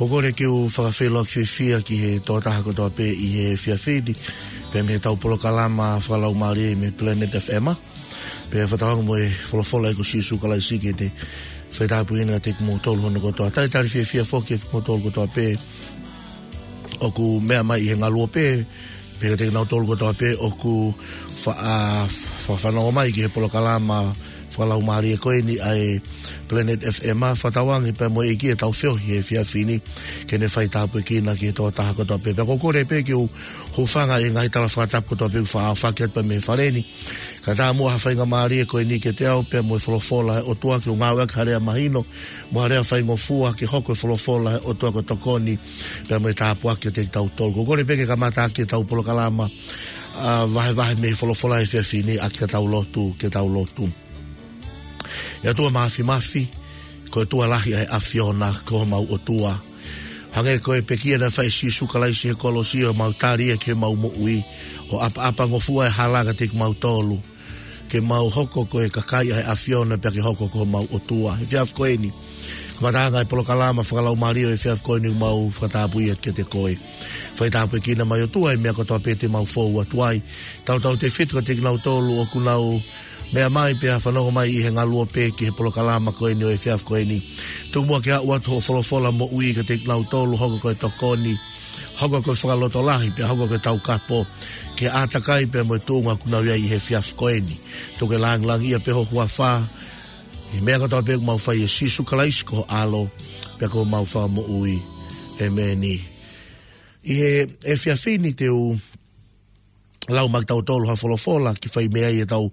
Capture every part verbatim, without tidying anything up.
Ko e kole ke u fakafeʻiloaki fiefia ki he tokotaha kotoa pē ʻi he efiafi ni, pea mei heʻetau polokalama fakalaumālie mei Planet F M. Pea fakatauange mo e folofola ʻa e ʻEiki ko Sīsū Kalaisi ke ne faitāpuekina kiate kimoutolu hono kotoa. Talitali fiefia foki kiate kimoutolu kotoa pē ʻoku meʻa mai ʻi he ngaluope, pea kiate kinautolu kotoa pē ʻoku fa-, ʻa, fa-, fanongo mai ki he polokalama fakalaumālie ko eni ʻa e Planet F M, fakatauange pea mo e ʻEiki ʻetau feohi he efiafi ni, ke ne faitāpuekina ki he tokotaha kotoa pē. Pea ko e kole pē ke u hūfanga he ngaahi tala fakatapu kotoa pē ʻoku faʻa aofaki atu pea mei he fale ni, kae ʻatā muʻa ha faingamālie ko eni kiate au pea mo e folofola ʻa e ʻOtua, ke u ngāueʻaki ha lea mahino mo ha lea faingofua ke hoko e folofola ʻa e ʻOtua ko e tokoni pea mo e tāpuaki kiate kitautolu. Ko e kole pē ke kamata ʻaki ʻetau polokalama, ʻa, vahevahe mei he folofola he efiafi ni, ʻaki ʻetau lotu, ke tau lotu. ʻE ʻOtua Māfimafi, ko e ʻOtua lahi ʻa e ʻAfiona, ko homau ʻOtua. Hangē ko e pekia naʻe fai ʻe Sīsū Kalaisi he kolosi, ʻo mau tali ia ki heʻemau moʻui, ʻo ʻapaʻapangofua e hala kiate kimautolu, ke mau hoko ko e kakai ʻa e ʻAfiona pea ke hoko ko homau ʻOtua. He efiafi ko eni, kamataʻanga e polokalama fakalaumālie ʻo e efiafi ko eni, mau fakatapui atu kiate koe. Faitāpuekina mai ʻOtua e meʻa kotoa pē te mau fou atu ai. Tautautefito kiate kinautolu ʻoku nau meʻa mai pea fanongo mai ʻi he ngaluope ki he polokalama ko eni ʻo e efiafi ko eni. Tuku muʻa ke aʻu atu hoʻo folofola moʻui kiate kinautolu, hoko ko e tokoni, hoko ko e fakalotolahi, pea hoko ko e taukapo ki he ʻātakai pea mo e tuʻunga ʻoku nau ʻi ai ʻi he efiafi ko eni. Tuku ke lāngilangiʻia pē ho huafa ʻi he meʻa kotoa pē ʻoku mau fai, ʻia Sīsū Kalaisi ko ho ʻAlo pea ko homau Fakamoʻui. ʻEmeni. ʻI he efiafi ni te u lau mai kiate kitautolu ha folofola ke fai mei ai ʻetau,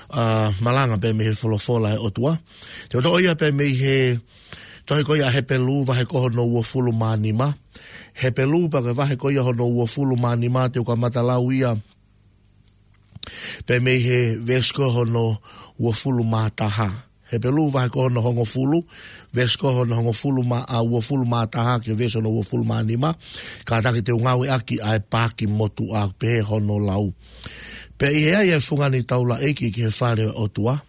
ʻa, malanga pea mei he folofola ʻa e ʻOtua. Te u toʻo ia pea mei he tohi ko ia ʻa Hepelū, vahe ko hono uofulu mā nima. Hepelū pea ko e vahe ko ia hono uofulu mā nima, te u kamata lau ia pea mei he veesi ko hono uofulu mā taha. Hepelū vahe ko hono hongofulu, veesi ko hono hongofulu mā, ʻa, uofulu mā taha ki he veesi hono uofulu mā nima. Kātaki te u ngāueʻaki ʻa e paaki motuʻa pē hono lau. Pea ʻi he ʻai ʻa e fungani taulaʻeiki ki he fale ʻo e ʻOtua,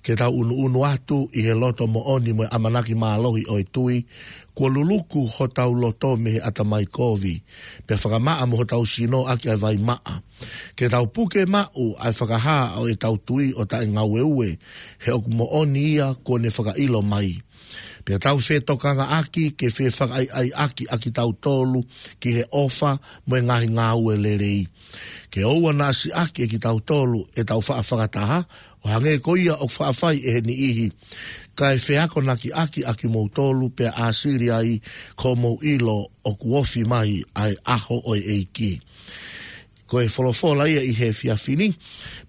ke tau ʻunuʻunu atu ʻi he loto moʻoni mo e ʻamanaki mālohi ʻo e tui, kuo luluku hotau loto mei he ʻatamai kovi, pea fakamaʻa mo hotau sino ʻaki ʻa e vai maʻa, ke tau puke maʻu ʻa e fakahā ʻo ʻetau tui ʻo taʻengaueue, he ʻoku moʻoni ia kuo ne fakaʻilo mai. Pea tau fetokangaʻaki ke fefakaʻaiʻaiʻaki ʻa kitautolu ki he ʻofa mo e ngaahi ngāue lelei. Ke ʻoua naʻa siʻaki ʻe kitautolu ʻetau faʻa fakataha, ʻo hangē ko ia ʻoku faʻa fai ʻe he niʻihi, kae feakonakiʻaki ʻa kimoutolu, pea ʻāsili ai ko hoʻomou ʻilo ʻoku ofi mai ʻa e ʻaho ʻo e ʻEiki. Ko e folofola ia ʻi he efiafi ni.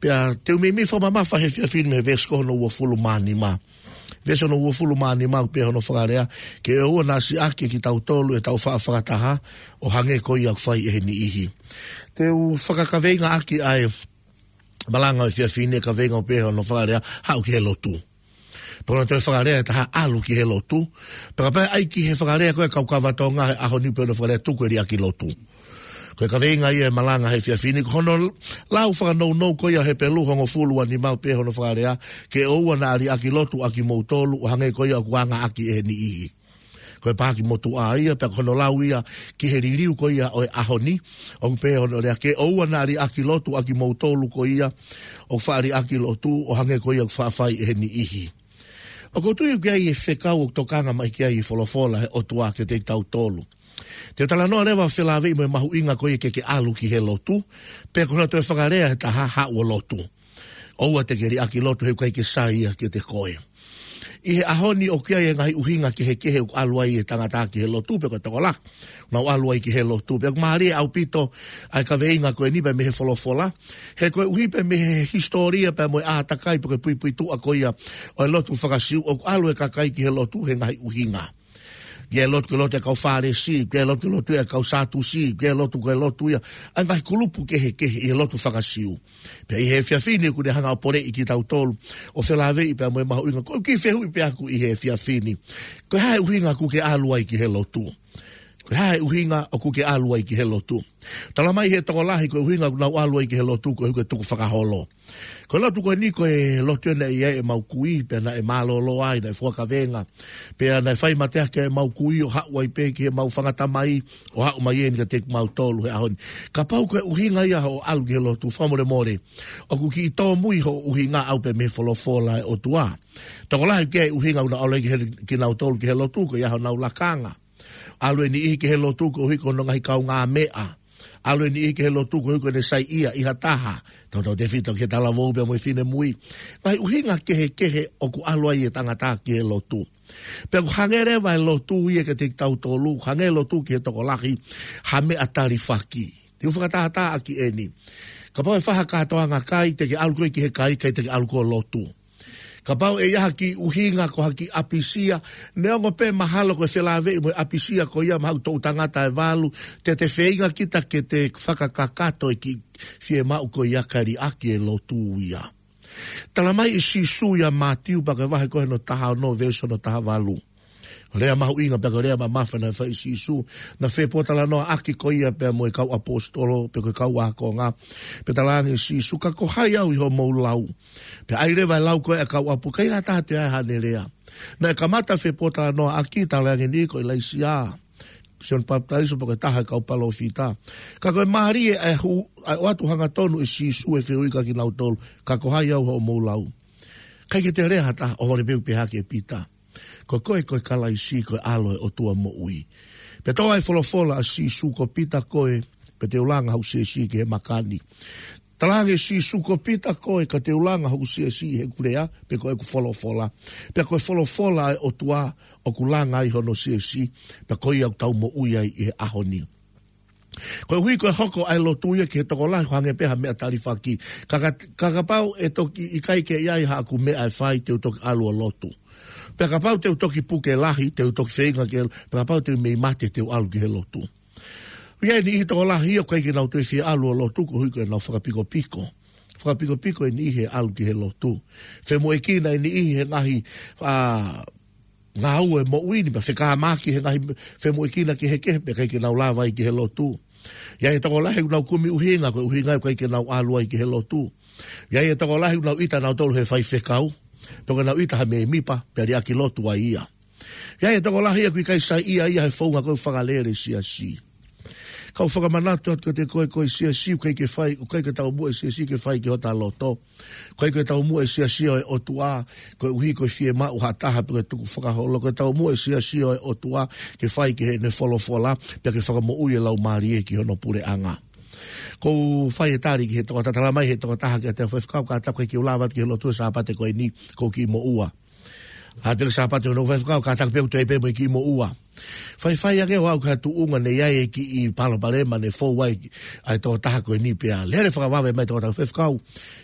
Pea te u meimei fakamamafa he efiafi ni mei he veesi ko hono uofulu mā nima. Veesi hono uofulu mā nima ʻoku pehē hono fakalea: Ke ʻoua naʻa siʻaki ʻe kitautolu ʻetau faʻa fakataha, ʻo hangē ko ia ʻoku fai ʻe he niʻihi. Te u fakakaveingaʻaki ʻa e malanga ʻo e efiafi ni he kaveinga ʻoku pehē hono fakalea, haʻu ki he lotu. Pea ko hono toe fakalea ʻe taha, ʻalu ki he lotu. Pea kapau ʻe ʻai ki he fakalea ko e kau kava Tonga he ʻaho ni, pea hono fakalea, tuku e liʻaki lotu. Ko e kaveinga ia e malanga he efiafi ni, ko hono lau fakanounou ko ia Hepelū hongofulu ua nima ʻoku pehē hono fakalea: Ke ʻoua naʻa liʻaki lotu ʻa kimoutolu, ʻo hangē ko ia ʻoku angaʻaki ʻe he niʻihi. Ko e paaki motuʻa ia, pea ko hono lau ia ki he liliu ko ia ʻo e ʻaho ni, ʻoku pehē hono lea: Ke ʻoua naʻa liʻaki lotu ʻa kimoutolu ko ia ʻoku faʻa liʻaki lotu, ʻo hangē ko ia ʻoku faʻa fai ʻe he niʻihi. ʻOku ou tui ʻoku ʻi ai e fekau ʻoku tokanga mai ki ai e folofola ʻa e ʻOtua kiate kitautolu. Te u talanoa leva ʻo felāveʻi mo e mahuʻinga ko ia ke ke ʻalu ki he lotu, pea ko hono toe fakalea ʻe taha, haʻu ʻo lotu. ʻOua te ke liʻaki lotu, he ʻoku ʻikai ke sai ia kiate koe. ʻI he ʻaho ni ʻoku ʻi ai e ngaahi ʻuhinga kehekehe ʻoku ʻalu ai e tangata ki he lotu, pe ko e tokolahi ʻoku nau ʻalu ai ki he lotu. Pea ʻoku mālie ʻaupito ʻa e kaveinga ko eni pea mei he folofola, he koeʻuhi pea mei he hisitōlia pea mo e ʻātakai pe ko e puipuituʻa ko ia ʻo e lotu faka-Siu, ʻoku ʻalu e kakai ki he lotu he ngaahi ʻuhinga. ʻOku ʻi ai e lotu, ko e lotu ʻa e kau Fālesi, ko e lotu, ko e lotu ʻa e kau Sātusi, ko e lotu, ko e lotu ia ʻa e ngaahi kulupu kehekehe ʻi he lotu faka-Siu. Pea ʻi he efiafi ni ʻoku ne hanga ʻo poleʻi kitautolu ʻo felāveʻi pea mo e mahuʻinga. Ko e kiʻi fehuʻi pē ʻaku ʻi he efiafi ni: Ko e hā e ʻuhinga ʻoku ke ʻalu ai ki he lotu? Ko e hā e ʻuhinga ʻoku ke ʻalu ai ki he lotu? Talamai ʻe he tokolahi ko e ʻuhinga ʻoku nau ʻalu ai ki he lotu koeʻuhi ko e tukufakaholo. Ko e lotu ko eni ko e lotu ia naʻe ʻi ai ʻemau kui, pea naʻe mālōlō ai, naʻe fuakavenga. Pea naʻe fai mateaki ʻemau kui ʻo haʻu ai pē ki heʻemau fanga tamai, ʻo haʻu mai eni kiate kimautolu he ʻaho ni. Kapau ko e ʻuhinga ia hoʻo ʻalu ki he lotu, fakamolemole, ʻoku kiʻi tōmui hoʻo ʻuhinga ʻau pē mei he folofola ʻa e ʻOtua. Tokolahi ʻoku ʻi ai e ʻuhinga ʻoku nau ʻalu ai ki he, kinautolu ki he lotu, ko ia honau lakanga. ʻAlu e niʻihi ki he lotu koeʻuhi ko hono ngaahi kaungāmeʻa. ʻAlu e niʻihi ki he lotu koeʻuhi ko ʻene saiʻia ʻi ha taha. Tautautefito ki he talavou pea mo e finemui. Ngaahi ʻuhinga kehekehe ʻoku ʻalu ai e tangata ki he lotu. Pea ʻoku hangē leva e lotu ia kiate kitautolu, hangē e lotu ki he tokolahi, ha meʻa talifaki. Te u fakatātā ʻaki eni. Kapau ʻe fai ha kātoanga kai, te ke ʻalu koe ki he kai, ʻikai te ke ʻalu koe ʻo lotu. Kapau ʻe ʻi ai ha kiʻi ʻuhinga ko ha kiʻi ʻapisia, neongo pē mahalo ko e felāveʻi mo e ʻapisia ko ia maʻa e toʻutangata ʻe valu, te te feinga kita ke te fakakakato e kiʻi fiemaʻu ko ia kae liʻaki e lotu ia. Talamai ʻe Sīsū ʻia Mātiu pea ko e vahe ko hono taha ono veesi hono taha valu. Lea mahuʻinga pea ko e lea mamafa naʻe fai ʻe Sīsū, naʻe fepōtalanoaʻaki ko ia pea mo e kau ʻaposetolo, pea ko e kau ākonga. Pea talaange ʻe Sīsū, ka ko hai au ʻi hoʻomou lau? Pea ʻai leva e lau ko ē ʻa e kau ʻapo, ʻikai ha taha te ʻai haʻane lea. Naʻe kamata fepōtalanoaʻaki, talaange eni ko ʻIlaisiā, Sione Papitaiso pe ko e taha e kau palōfita. Ka ko e mālie ʻa e hū, ʻa e ʻoatu hangatonu ʻe Sīsū e fehuʻi kia kinautolu, ka ko hai au ʻi hoʻomou lau? ʻIkai ke toe lea ha taha, ʻohovale pē ʻoku pehē hake ʻe Pita, ko koe ko e Kalaisi, ko e ʻAlo ʻo e ʻOtua moʻui. Pea tō ai e folofola ʻa Sīsū, ko Pita koe, pea te u langa hoku siasi ki he maka ni. Talaange ʻe Sīsū, ko Pita koe, ka te u langa hoku siasi ʻi heʻeku lea, pe ko ʻeku folofola. Pea ko e folofola ʻa e ʻOtua ʻoku langa ai hono siasi, pea ko ia ʻoku tau moʻui ai ʻi he ʻaho ni. Koeʻuhi ko e hoko ʻa e lotu ia ki he tokolahi ʻoku hangē pē ha meʻa talifaki. Ka, ka, ka kapau ʻe toki ʻikai ke ʻi ai haʻaku meʻa ʻe fai, te u toki ʻalu ʻo lotu. Pea kapau te u toki puke lahi, te u toki feinga ke, pea kapau te u mei mate, te u ʻalu ki he lotu. ʻI ai e niʻihi tokolahi ia ʻoku ʻikai ke nau toe fie ʻalu ʻo lotu koeʻuhi ko ʻenau fakapikopiko. Fakapikopiko e niʻihi he ʻalu ki he lotu. Femoʻuekina e niʻihi he ngaahi, ʻa, ngāue moʻui ni, pea fekāmaki he ngaahi femoʻuekina kehekehe, pea ʻikai ke nau lava ai ki he lotu. ʻI ai e tokolahi ʻoku nau kumi ʻuhinga, ko e ʻuhinga ʻoku ʻikai ke nau ʻalu ai ki he lotu. ʻI ai e tokolahi ʻoku nau ʻita nautolu he faifekau, pe ʻoku nau ʻita ha mēmipa, pea liʻaki lotu ai ia. ʻI ai e tokolahi ia ʻoku ʻikai saiʻia ia he founga ko ē fakalele siasi. Kau fakamanatu atu kiate koe, ko e siasi ʻoku ʻikai ke fai, ʻoku ʻikai ke taumuʻa e siasi ke fai ki hota loto. ʻOku ʻikai ke taumuʻa e siasi ʻo e ʻOtua koeʻuhi ko e fiemaʻu ha taha pe ko e tukufakaholo. Ko e taumuʻa e siasi ʻo e ʻOtua ke fai ki heʻene folofola, pea ke fakamoʻui e laumālie ki hono puleʻanga. ʻOku ou fai e tali ki he tokotaha, talamai ʻe he tokotaha kiate au, faifekau, kātaki ke u lava atu ki he lotu he Sāpate ko eni, ʻoku ou kiʻi moʻua. ʻA e Sāpate hono faifekau, kātaki pē ʻoku toe pē mo e kiʻi moʻua. Faifai ange ʻo aʻu ki ha tuʻunga naʻe ʻi ai e kiʻi palopalema naʻe fou ai ʻa e tokotaha ko eni, pea lele fakavave mai e tokotaha, faifekau,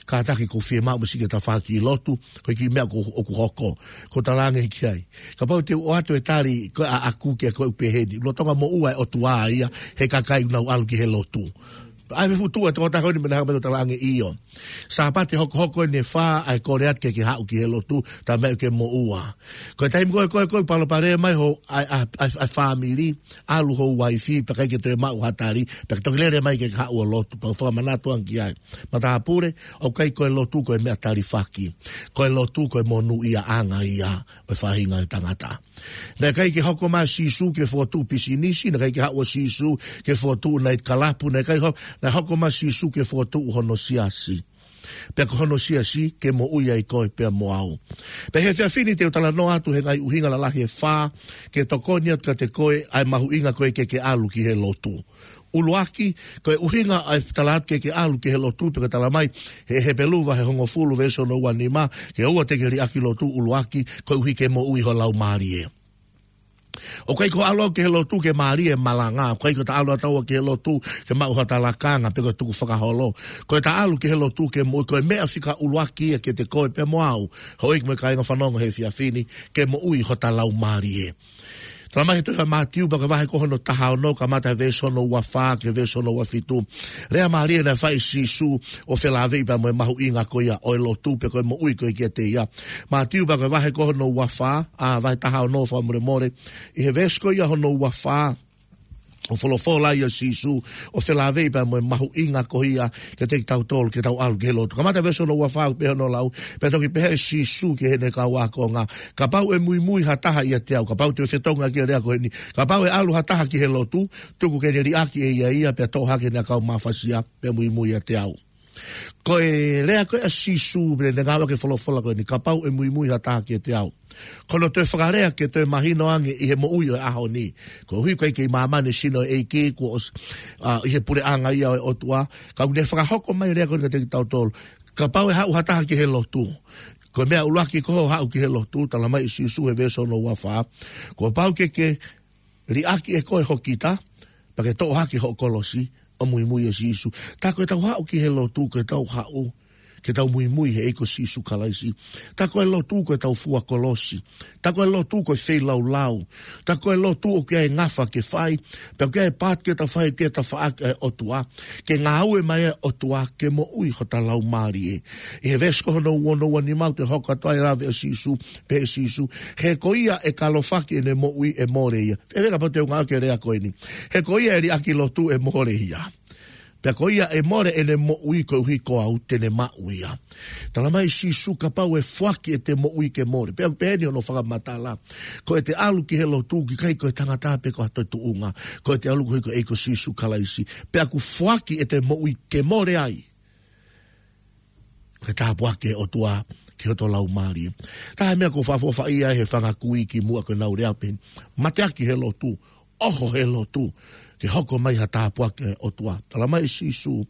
kātaki, ʻoku ou fiemaʻu mo siʻi ke ta fai ha kiʻi lotu, ko e kiʻi meʻa ʻoku, ʻoku hoko. ʻOku ou talaange ki ai, kapau te u ʻoatu e tali ko ē ʻaʻaku ki he, ko ē ʻoku pehē ni, lolotonga moʻua e ʻOtua ia he kakai ʻoku nau ʻalu ki he lotu. ʻAi me futu e tokotaha ko eni, mei he hanga mai ʻo talaange ʻio. Sāpate hokohoko eni ʻe fā, ʻai kole atu ke ke haʻu ki he lotu, talamai ʻoku ke moʻua. Ko e taimi ko ē, ko e, ko e palopalema mai ho, ʻa e, ʻa e, ʻa e, ʻa e fāmili, ʻalu ho uaifi, pea ʻikai ke toe maʻu ha tali, pea ke toki lele mai ke ke haʻu ʻo lotu, pea u fakamanatu ange ki ai. Matāpule, ʻoku ʻikai ko e lotu ko e meʻa talifaki. Ko e lotu ko e monūʻiaʻanga ia ʻo e faʻahinga ʻo e tangata. Naʻe ʻikai ke hoko mai ʻa Sīsū ke fokotuʻu pisinisi, naʻe ʻikai ke haʻu ʻa Sīsū ke fokotuʻu naitikalapu, naʻe ʻikai ho-, naʻe hoko mai ʻa Sīsū ke fokotuʻu hono siasi. Pea ko hono siasi ke moʻui ai koe pea mo au. Pea he efiafi ni te u talanoa atu he ngaahi ʻuhinga lalahi ʻe fā, ke tokoni atu kiate koe ʻa e mahuʻinga ko ē ke ke ʻalu ki he lotu. ʻUluaki, ko e ʻuhinga ʻa e tala atu ke ke ʻalu ki he lotu, pea ʻoku talamai ʻe he Hepelū vahe hongofulu veesi hono ua nima, ke ʻoua te ke liʻaki lotu. ʻUluaki, koeʻuhi ke moʻui ho laumālie. ʻOku ʻikai ko e ʻalu au ki he lotu ke mālie e malanga, ʻoku ʻikai ko ʻeta ʻalu ʻataua ki he lotu ke maʻu hota lakanga pe ko e tukufakaholo. Ko ʻeta ʻalu ki he lotu ke moʻui, ko e meʻa fika ʻuluaki ia kiate koe pea mo au, houʻeiki mo e kāinga fanongo he efiafi ni, ke moʻui hota laumālie. Talamai ʻe he tohi ʻa Mātiu pea ko e vahe ko hono taha ono, kamata he veesi hono ua fā ki he veesi hono ua fitu. Lea mālie naʻe fai ʻe Sīsū ʻo felāveʻi pea mo e mahuʻinga ko ia ʻo e lotu pe ko e moʻui ko ē kiate ia. Mātiu pea ko e vahe ko hono ua fā, ʻa, vahe taha ono, fakamolemole. ʻI he veesi ko ia hono ua fā, ʻo folofola ia ʻa Sīsū, ʻo felāveʻi pea mo e mahuʻinga ko ia kiate kitautolu ke tau ʻalu ki he lotu. Kamata veesi hono ua fā pē hono lau, pea toki pehē ʻe Sīsū ki heʻene kau ākonga, kapau ʻe muimui ha taha ʻiate au, kapau te u fetongi ʻaki e lea ko eni, kapau ʻe ʻalu ha taha ki he lotu, tuku ke ne liʻaki ʻe ia ia, pea toʻo hake ʻene ʻakau mafasia, pea muimui ʻiate au. Ko e lea ko ē ʻa Sīsū, pea ne ngāueʻaki e folofola ko eni, kapau ʻe muimui ha taha kiate au. Ko hono toe fakalea ke toe mahino ange ʻi he moʻui ʻo e ʻaho ni. Koeʻuhi ko e kei māmani e sino ʻo e ʻEiki kuo ʻosi, ʻa, ʻi he puleʻanga ia ʻo e ʻOtua. Ka ʻoku ne fakahoko mai e lea ko eni kiate kitautolu. Kapau ʻe haʻu ha taha ki he lotu. Ko e meʻa ʻuluaki ko hoʻo haʻu ki he lotu, talamai ʻe Sīsū he veesi hono ua fā. Kuo pau ke ke liʻaki ʻe koe ho kita, pea ke toʻo hake hoʻo kolosi, ʻo muimui ʻa Sīsū. Tā ko ʻetau haʻu ki he lotu, ko ʻetau haʻu ke tau muimui he ʻEiki ko Sīsū Kalaisi. Tā ko e lotu ko ʻetau fua kolosi. Tā ko e lotu ko e feilaulau. Tā ko e lotu ʻoku ʻi ai e ngafa ke fai. Pea ʻoku ʻi ai e paati ke tau fai ke tafaʻaki ʻa e ʻOtua. Ke ngāue mai ʻa e ʻOtua ke moʻui hota laumālie. ʻI he veesi ko hono ua noa nima ʻoku toe hoko atu ai e lave ʻa Sīsū, pehē ʻe Sīsū. He ko ia ʻe kalofaki ʻene moʻui ʻe mole ia. Fēfē kapau te u ngāueʻaki e lea ko eni. He ko ia ʻe liʻaki lotu ʻe mole ia. Pea ko ia ʻe mole ʻene moʻui koeʻuhi ko au te ne maʻu ia. Talamai ʻe Sīsū kapau ʻe foaki ʻete moʻui ke mole. Pea ʻoku pehē ni hono fakamatala. Ko ʻete ʻalu ki he lotu ʻoku ʻikai ko e tangata pe ko ha toe tuʻunga. Ko ʻete ʻalu koeʻuhi ko e ʻEiki ko Sīsū Kalaisi. Pea ʻoku foaki ʻete moʻui ke mole ai. Ke tāpuaki ʻe he ʻOtua ki hoto laumālie. Taha e meʻa ʻoku ou fakaʻofoʻofaʻia ai he fanga kui kimuʻa ko ʻenau lea pē. Mateaki he lotu. ʻOho he lotu, ke hoko mai ha tāpuaki ʻa e ʻOtua. Talamai ʻe Sīsū,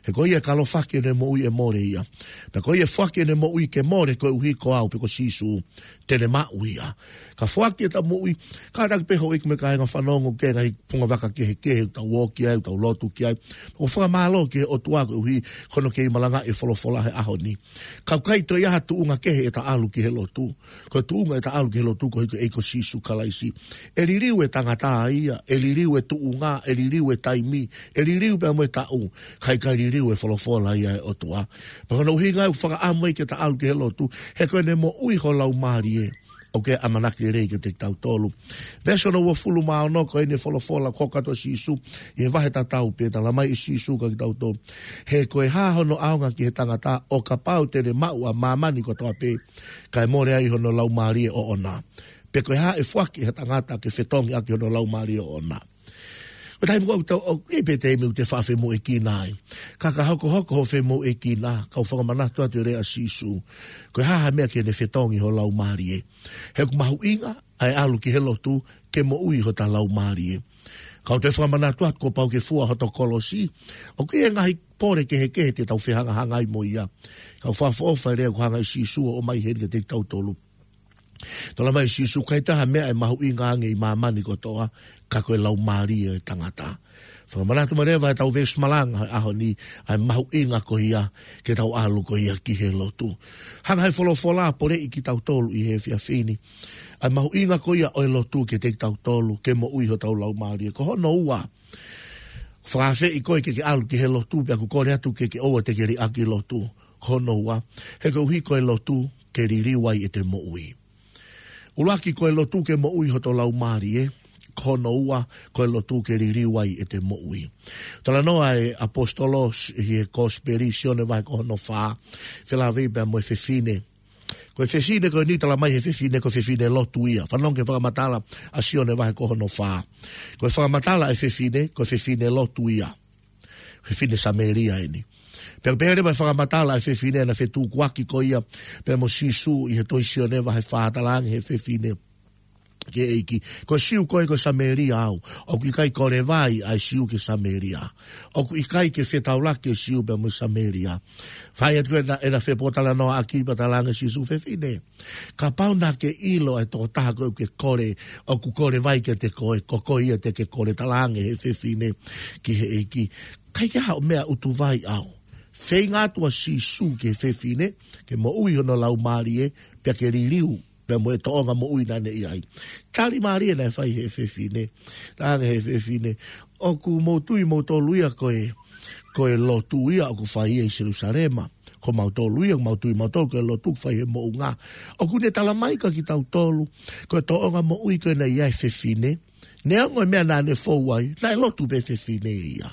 he ko ia ʻe kalofaki ʻene moʻui ʻe mole ia. Pea ko ia ʻe foaki ʻene moʻui ke mole koeʻuhi ko au pe ko Sīsū, te ne maʻu ia. Ka foaki ʻeta moʻui, kātaki pē houʻeiki mo e kāinga fanongo ki he ngaahi punga vaka kehekehe, ʻoku tau ō ki ai, ʻoku tau lotu ki ai. ʻOku fakamālō ki he ʻOtua koeʻuhi, ko hono kei malangaʻi e folofola he ʻaho ni. Ka ʻoku ʻikai toe ʻi ai ha tuʻunga kehe ʻeta ʻalu ki he lotu. Ko e tuʻunga ʻeta ʻalu ki he lotu koeʻuhi ko e ʻEiki ko Sīsū Kalaisi. ʻE liliu e tangata ia, ʻe liliu e tuʻunga, ʻe liliu e taimi, ʻe liliu pea mo e taʻu, ka ʻikai liliu e folofola ia ʻa e ʻOtua. Pea ko hono ʻuhinga ia ʻoku fakaʻamu ai ke ta ʻalu ki he lotu, he ko ʻene moʻui ho laumālie, ʻoku ʻamanaki lelei kiate kitautolu. Veesi hono uofulu mā ono ko eni e folofola ko ē ʻa Sīsū, ʻi he vahe tatau pē talamai ʻe Sīsū kiate kitautolu. He ko e hā hono ʻaonga ki he tangata ʻo kapau te ne maʻu ʻa māmani kotoa pē, kae mole ai hono laumālie ʻoʻona. Pe ko e hā ʻe foaki ʻe ha tangata ke fetongi ʻaki hono laumālie ʻoʻona. Ko e taimi ko ē ʻoku tau, ʻoku ʻi ai pē taimi ʻoku te faʻa femoʻuekina ai. Ka ka hokohoko hoʻo femoʻuekina, kau fakamanatu atu e lea ʻa Sīsū. Ko e hā ha meʻa ke ne fetongi ho laumālie. He ʻoku mahuʻinga ʻa e ʻalu ki he lotu ke moʻui hota laumālie. Kau toe fakamanatu atu kuo pau ke fua hoto kolosi. ʻOku ʻi ai e ngaahi pole kehekehe te tau fehangahangai mo ia. Kau fakaʻofoʻofa e lea ʻoku hanga ʻe Sīsū ʻo ʻomai heni kiate kitautolu. Talamai ʻe Sīsū ʻoku ʻikai toe ʻi ai ha meʻa ʻe mahuʻinga ange ʻi māmani kotoa, ka ko e laumālie ʻo e tangata. Fakamanatu mai leva ʻetau veesi malanga he ʻaho ni, ʻa e mahuʻinga ko ia ke tau ʻalu ko ia ki he lotu. Hanga ʻe he folofola ʻo poleʻi kitautolu ʻi he efiafi ni. ʻA e mahuʻinga ko ia ʻo e lotu kiate kitautolu, ke moʻui hotau laumālie. Ko hono ua, fakaafeʻi koe ke ke ʻalu ki he lotu, pea ʻoku kole atu ke ke ʻoua te ke liʻaki lotu. Ko hono ua, he koeʻuhi ko e lotu, ke liliu ai ʻete moʻui. ʻUluaki ko e lotu ke moʻui hoto laumālie, ko hono ua, ko e lotu ke liliu ai ʻete moʻui. Talanoa e ʻaposetolo ʻi he kosipeli Sione vahe ko hono fā, felāveʻi pea mo e fefine. Ko e fefine ko eni talamai he fefine ko e fefine lotu ia. Fanongo ki he fakamatala ʻa Sione vahe ko hono fā. Ko e fakamatala e fefine, ko e fefine lotu ia. Fefine Samēlia eni. Pea pehē leva e fakamatala e fefine naʻe fetukuaki ko ia pea mo Sīsū ʻi he tohi Sione vahe fā talaange he fefine ki he ʻEiki. Ko e Siu koe ko e Samēlia au. ʻOku ʻikai kole vai ʻa e Siu ki he Samēlia. ʻOku ʻikai ke fetaulaki e Siu pea mo e Samēlia. Fai atu ena, ena fepōtalanoaʻaki pea talaange Sīsū fefine. Kapau naʻa ke ʻilo ʻa e tokotaha ko ē ʻoku ke kole, ʻoku kole vai kiate koe, ko koe ia te ke kole talaange he fefine ki he ʻEiki. ʻIkai ke ʻi ai haʻo meʻa ʻutu vai au. Feinga atu ʻa Sīsū ki he fefine, ke moʻui hono laumālie, pea ke liliu, pea mo e toʻonga moʻui naʻa ne ʻi ai. Tali mālie naʻe fai he fefine, talaange he fefine, ʻoku mou tui moutolu ia ko e, ko e lotu ia ʻoku fai ia ʻi Selusalema. Ko mautolu ia, ʻoku mau tui mautolu ko e lotu ʻoku fai he moʻunga. ʻOku ne talamai kiate kitautolu, ko e toʻonga moʻui ko ē naʻe ʻi ai e fefine, Neongo e meʻa naʻa ne fou ai, naʻe lotu pē fefine ia.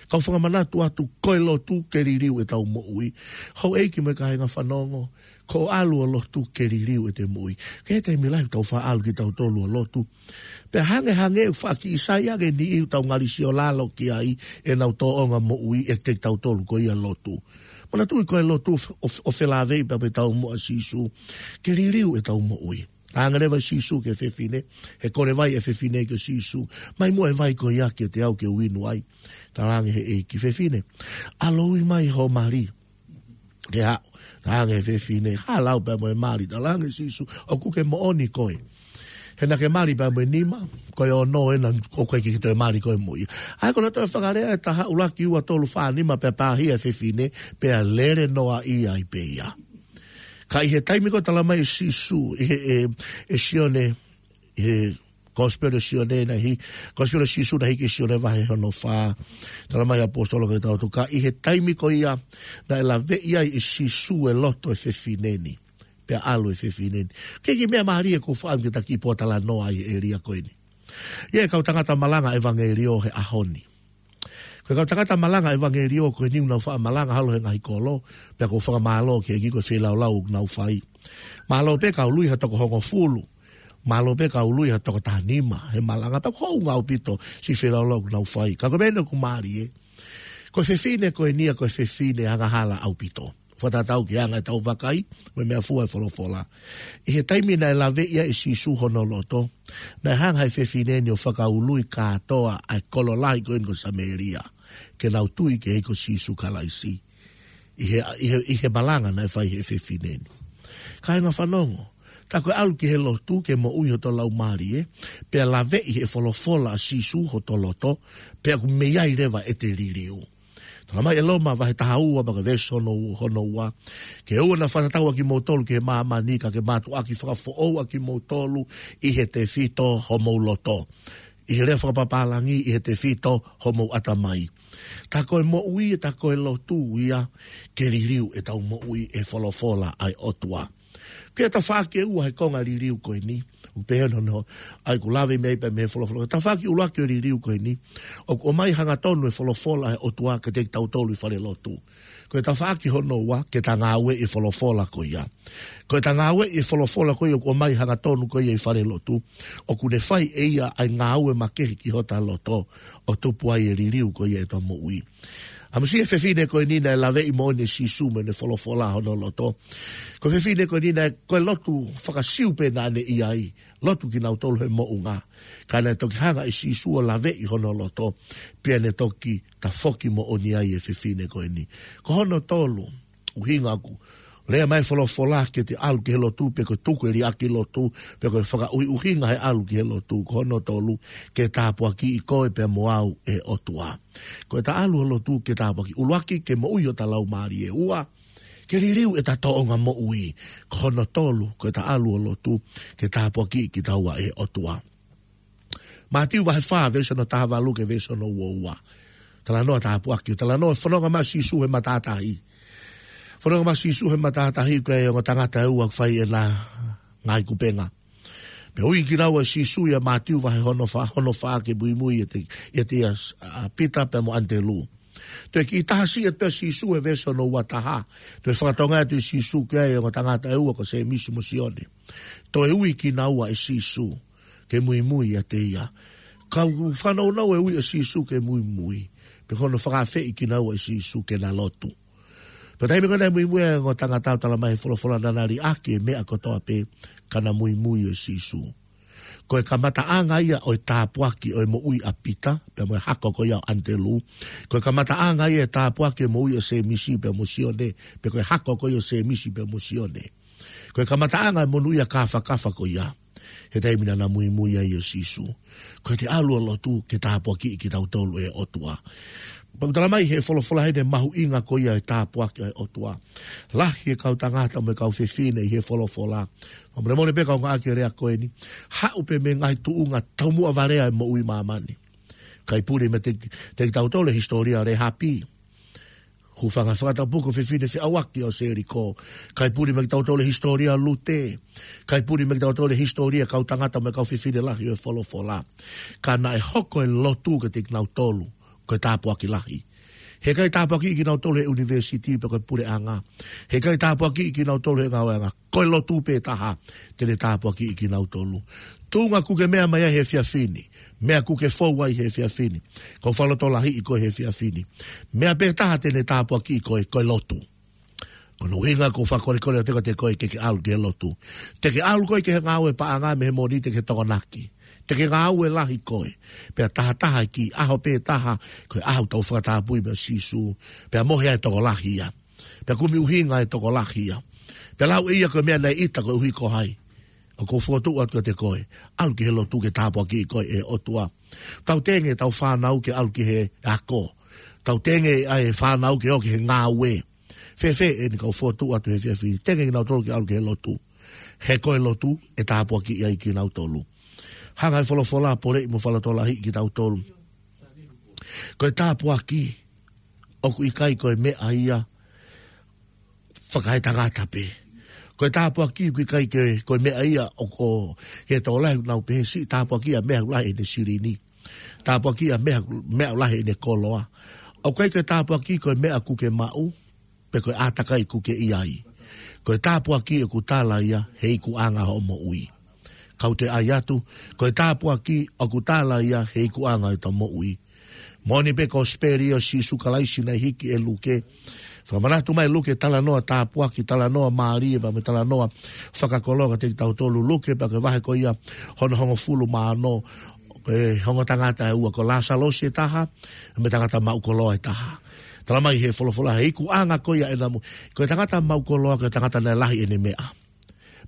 Kau fakamanatu atu, ko e lotu ke liliu ʻetau moʻui. Houʻeiki mo e kāinga fanongo, ko e ʻalu ʻo lotu ke liliu ʻete moʻui. Ke te milai tau faʻa ʻalu kitautolu ʻo lotu. Pea hangehangē ʻoku faʻa kiʻi sai ange e niʻihi ʻoku tau ngali siolalo ki ai ʻenau tōʻonga moʻui ʻiate kitautolu ko ia lotu. Manatuʻi ko e lotu ʻo, ʻo, ʻo felāveʻi pea mo ʻetau moʻui ʻa Sīsū. Ke liliu ʻetau moʻui. Talaange leva ʻe Sīsū ki he fefine, he kole vai ʻa e fefine kia Sīsū. Mai muʻa e vai ko ia kiate au ke u inu ai. Talaange he ʻEiki, fefine, ʻalu ʻo ui mai ho mali. Ke haʻu, talaange he fefine, hala pea mo e mali, talaange ʻe Sīsū, ʻoku ke moʻoni koe. He naʻa ke mali pea mo e nima, ko e ono ena, ʻoku ʻikai ke toe mali koe mo ia. ʻA ia ko hono toe fakalea ʻe taha, ʻuluaki, ua, tolu, fā, nima, pea pāhia e fefine, pea lele noaʻia ai pē ia. Ka ʻi he taimi ko ē talamai ʻe Sīsū, ʻi he, ʻe, ʻe Sione, ʻi he Kosipeli ʻa Sione naʻe hiki, Kosipeli ʻa Sīsū naʻe hiki ʻe Sione vahe hono fā. Talamai ʻe he ʻaposetolo kia kitautolu, ka ʻi he taimi ko ia, naʻe laveʻi ai ʻe Sīsū e loto ʻo e fefine ni. Pea ʻalu e fefine ni. Ko e kiʻi meʻa mālie ʻoku ou fakaʻamu ke ta kiʻi pōtalanoa ai he ʻēlia ko eni. ʻA ia e kau tangata malanga ʻevangeliō he ʻaho ni. Ko e kau tangata malanga ʻevangeliō ko eni ʻoku nau faʻa malanga holo he ngaahi kolo, pea ʻoku ou fakamālō ki he ʻEiki ko e feilaulau ʻoku nau fai. Mālō pē ka ului ha toko hongofulu. Mālō pē ka ului ha toko taha nima he malanga, pea ʻoku hounga ʻaupito siʻi feilaulau ʻoku nau fai. Ka ko e meʻa eni ʻoku mālie, ko e fefine ko eni ia ko e fefine angahala ʻaupito. Fakatatau ki he anga ʻetau vakai, mo e meʻafua ʻa e folofola. ʻI he taimi naʻe laveʻi ai ʻe Sīsū hono loto, naʻe hanga ʻe he fefine ni ʻo fakaului kātoa ʻa e kolo lahi ko eni ko Samēlia, ke nau tui ki he ʻEiki ko Sīsū Kalaisi. ʻI he, ʻi he, ʻi he malanga naʻe fai ʻe he fefine ni. Kāinga fanongo, tā ko e ʻalu ki he lotu ke moʻui hotau laumālie, pea laveʻi ʻe he folofola ʻa Sīsū hotau loto, pea ʻoku mei ai leva ʻete liliu. Talamai ʻe Loma vahe taha ua, pea ko e veesi hono, hono ua. Ke ʻoua naʻa fakatatau ʻa kimoutolu ki he māmani, ka ke mātuʻaki fakafoʻou ʻa kimoutolu ʻi he tefito homou loto. ʻI he lea fakapapālangi, ʻi he tefito homou ʻatamai. Tā ko e moʻui, tā ko e lotu ia, ke liliu ʻetau moʻui ʻe he folofola ʻa e ʻOtua. Ko e tafaʻaki ʻe ua he konga liliu ko eni, ʻoku pehē hono, ʻa ia ʻoku lave mei ai pē mei he folofola. Tafaʻaki ʻuluaki ʻo e liliu ko eni, ʻoku ʻomai hangatonu e folofola ʻa e ʻOtua kiate kitautolu ʻi falelotu. Ko e tafaʻaki hono ua, ke ta ngāueʻi e folofola ko ia. Ko e ta ngāueʻi e folofola ko ia ʻoku ʻomai hangatonu ko ia ʻi falelotu, ʻoku ne fai ʻe ia ʻa e ngāue makehe ki hota loto, ʻo tupu ai e liliu ko ia ʻetau moʻui. ʻAmusia e fefine ko eni naʻe laveʻi moʻoni ʻe Sīsū mo ʻene folofola hono loto. Ko e fefine ko eni naʻe, ko e lotu faka-Siu pē naʻa ne ʻi ai, lotu kinautolu he moʻunga. Ka naʻe toki hanga ʻe Sīsū ʻo laveʻi hono loto, pea ne toki tafoki moʻoni ai e fefine ko eni. Ko hono tolu, ʻuhinga ʻoku lea mai e folofola ke te ʻalu ki he lotu, pe ko e tuku e liʻaki lotu, pe ko e fakaʻuhiʻuhinga he ʻalu ki he lotu, ko hono tolu, ke tāpuakiʻi koe pea mo au ʻe he ʻOtua. Ko e ta ʻalu ʻo lotu ke tāpuakiʻi. ʻUluaki, ke moʻui hota laumālie. Ua, ke liliu ʻeta tōʻonga moʻui. Ko hono tolu, ko e ta ʻalu ʻo lotu ke tāpuakiʻi kitaua ʻe he ʻOtua. Mātiu vahe fā, veesi hono taha valu ki he veesi hono ua ua. Talanoa tāpuaki, talanoa fononga mai ʻa Sīsū he matātahi. Fononga mai ʻa Sīsū he matātahi, ko e ongo tangata ʻe ua ʻoku fai ʻena ngaahi kupenga. Pea ui kinaua ʻe Sīsū ʻia Mātiu vahe hono fā, hono fā ke muimui ʻiate, ʻiate ia, ʻa Pita pea mo ʻAnitelū. Toe kiʻi taha siʻi atu pē ʻa Sīsū he veesi hono ua taha. Toe fakatokangaʻi atu ʻe Sīsū ki ai e ongo tangata ʻe ua ko Sēmisi mo Sione. Toe ui kinaua ʻe Sīsū ke muimui ʻiate ia. Ka ʻoku fanongo e ui ʻa Sīsū ke muimui, pea ko hono fakaafeʻi kinaua ʻe Sīsū ke na lotu. Pea taimi ko ē naʻe muimui ai e ongo tangata, ʻoku talamai ʻe he folofola naʻa na liʻaki e meʻa kotoa pē, ka na muimui ʻia Sīsū. Ko e kamataʻanga ia ʻo e tāpuaki ʻo e moʻui ʻa Pita, pea mo e hako ko ia ʻo ʻAnitelū. Ko e kamataʻanga ia e tāpuaki ʻo e moʻui ʻa Sēmisi pea mo Sione, pe ko e hako ko ia ʻo Sēmisi pea mo Sione. Ko e kamataʻanga e monūʻia kāfakafa ko ia he taimi naʻa na muimui ai ʻia Sīsū. Ko e te ʻalu ʻo lotu ke tāpuakiʻi kitautolu ʻe he ʻOtua. Pea ʻoku talamai ʻe he folofola ʻa ʻene mahuʻinga ko ia e tāpuaki ʻa e ʻOtua. Lahi e kau tangata mo e kau fefine ʻi he folofola. Fakamolemole pē ka u ngāueʻaki e lea ko eni. Haʻu pē mei he ngaahi tuʻunga taumuʻa valea e moʻui ʻi māmani. Kae pule mai kiate, kiate kitautolu e hisitōlia ʻo Lēhapi. Hūfanga he fakatapu ko e fefine feʻauaki ʻo Selikō. ʻIkai puli maʻa kitautolu e hisitōlia ʻo Lute. ʻIkai puli maʻa kitautolu e hisitōlia e kau tangata mo e kau fefine lahi ʻo e folofola. Ka naʻe hoko e lotu kiate kinautolu ko e tāpuaki lahi. He ʻikai tāpuakiʻi kinautolu he ʻunivēsiti pe ko e puleʻanga. He ʻikai tāpuakiʻi kinautolu he ngāueʻanga. Ko e lotu pē taha te ne tāpuakiʻi kinautolu. Tuʻunga ʻoku ke meʻa mai ai he efiafi ni. Meʻa ʻoku ke fou ai he efiafi ni. Ko e fakalotolahiʻi koe he efiafi ni. Meʻa pē taha te ne tāpuakiʻi koe, ko e lotu. Ko hono ʻuhinga ʻoku ou fakakolekole atu kiate koe ke ke ʻalu ki he lotu. Te ke ʻalu koe ki he ngāue paʻanga mei he Mōnite ki he Tokonaki. Te ke ngāue lahi koe. Pea tahataha e kiʻi ʻaho pē taha, ko e ʻaho ʻoku tau fakatapui mo Sīsū. Pea mohe ai e tokolahi ia. Pea kumi ʻuhinga e tokolahi ia. Pea lau ʻe ia ko e meʻa naʻe ʻita koeʻuhi ko hai. ʻOku ou fokotuʻu atu kiate koe. ʻAlu ki he lotu ke tāpuakiʻi koe ʻe he ʻOtua. Tau tenge ʻetau fānau ke ʻalu ki he ako. Tau tenge ʻa e fānau ke ō ki he ngāue. Fēfē eni, kau fokotuʻu atu he efiafi ni. Tenge kinautolu ke ʻalu ki he lotu. He ko e lotu ʻe tāpuakiʻi ai kinautolu. Hanga he folofola ʻo poleʻi mo fakalotolahiʻi kitautolu. Ko e tāpuaki ʻoku ʻikai ko e meʻa ia fakaetangata pē. Ko e tāpuaki ʻoku ʻikai ke, ko e meʻa ia ʻoku, ʻoku ke tokolahi ʻoku nau pehē siʻi tāpuakiʻi ʻa e meʻa ʻoku lahi ʻene silini. Tāpuakiʻi ʻa e meʻa, meʻa ʻoku lahi ʻene koloa. ʻOku ʻikai ko e tāpuaki ko e meʻa ʻoku ke maʻu, pe ko e ʻātakai ʻoku ke ʻi ai. Ko e tāpuaki ʻoku tala ia he ikuʻanga hoʻo moʻui. Kau toe ʻai atu, ko e tāpuaki ʻoku tala ia he ikuʻanga ʻo ʻetau moʻui. Moʻoni pē ko e kosipeli ʻo Sīsū Kalaisi naʻe hiki ʻe Luke. Fakamanatu mai Luke talanoa tāpuaki, talanoa mālie, pea mo e talanoa fakakoloa kiate kitautolu. Luke pea ko e vahe ko ia hono hongofulu mā ono, ko e ongo tangata ʻe ua, ko Lāsalosi ʻe taha, mo e tangata maʻu koloa ʻe taha. Tala mai he folofola he ikuʻanga ko ia ʻena moʻui. Ko e tangata maʻu koloa, ko e tangata naʻe lahi ʻene meʻa.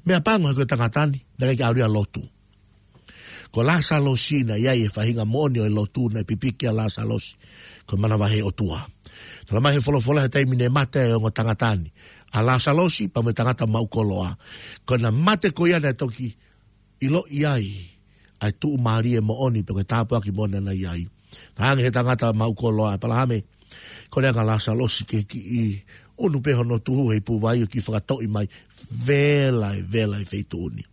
Meʻapango he ko e tangata ni, naʻe ʻikai ke ʻalu ia ʻo lotu. Ko Lāsalosi naʻe ʻi ai e faʻahinga moʻoni ʻo e lotu naʻe pipiki ʻa Lāsalosi. Ko e manavahē ʻOtua. Tala mai he folofola he taimi naʻe mate ai e ongo tangata ni. ʻA Lāsalosi pea mo e tangata maʻu koloa. Ko ʻena mate ko ia naʻe toki ʻiloʻi ai ʻa e tuʻumālie moʻoni pe ko e tāpuaki moʻoni naʻe ʻi ai. Talaange he tangata maʻu koloa, ʻEpalahame, kole ange ʻa Lāsalosi ke kiʻi ʻunu pē hono tuhu he ipu vai ʻo kiʻi fakatoʻi mai. Vela e, vela e feituʻu ni.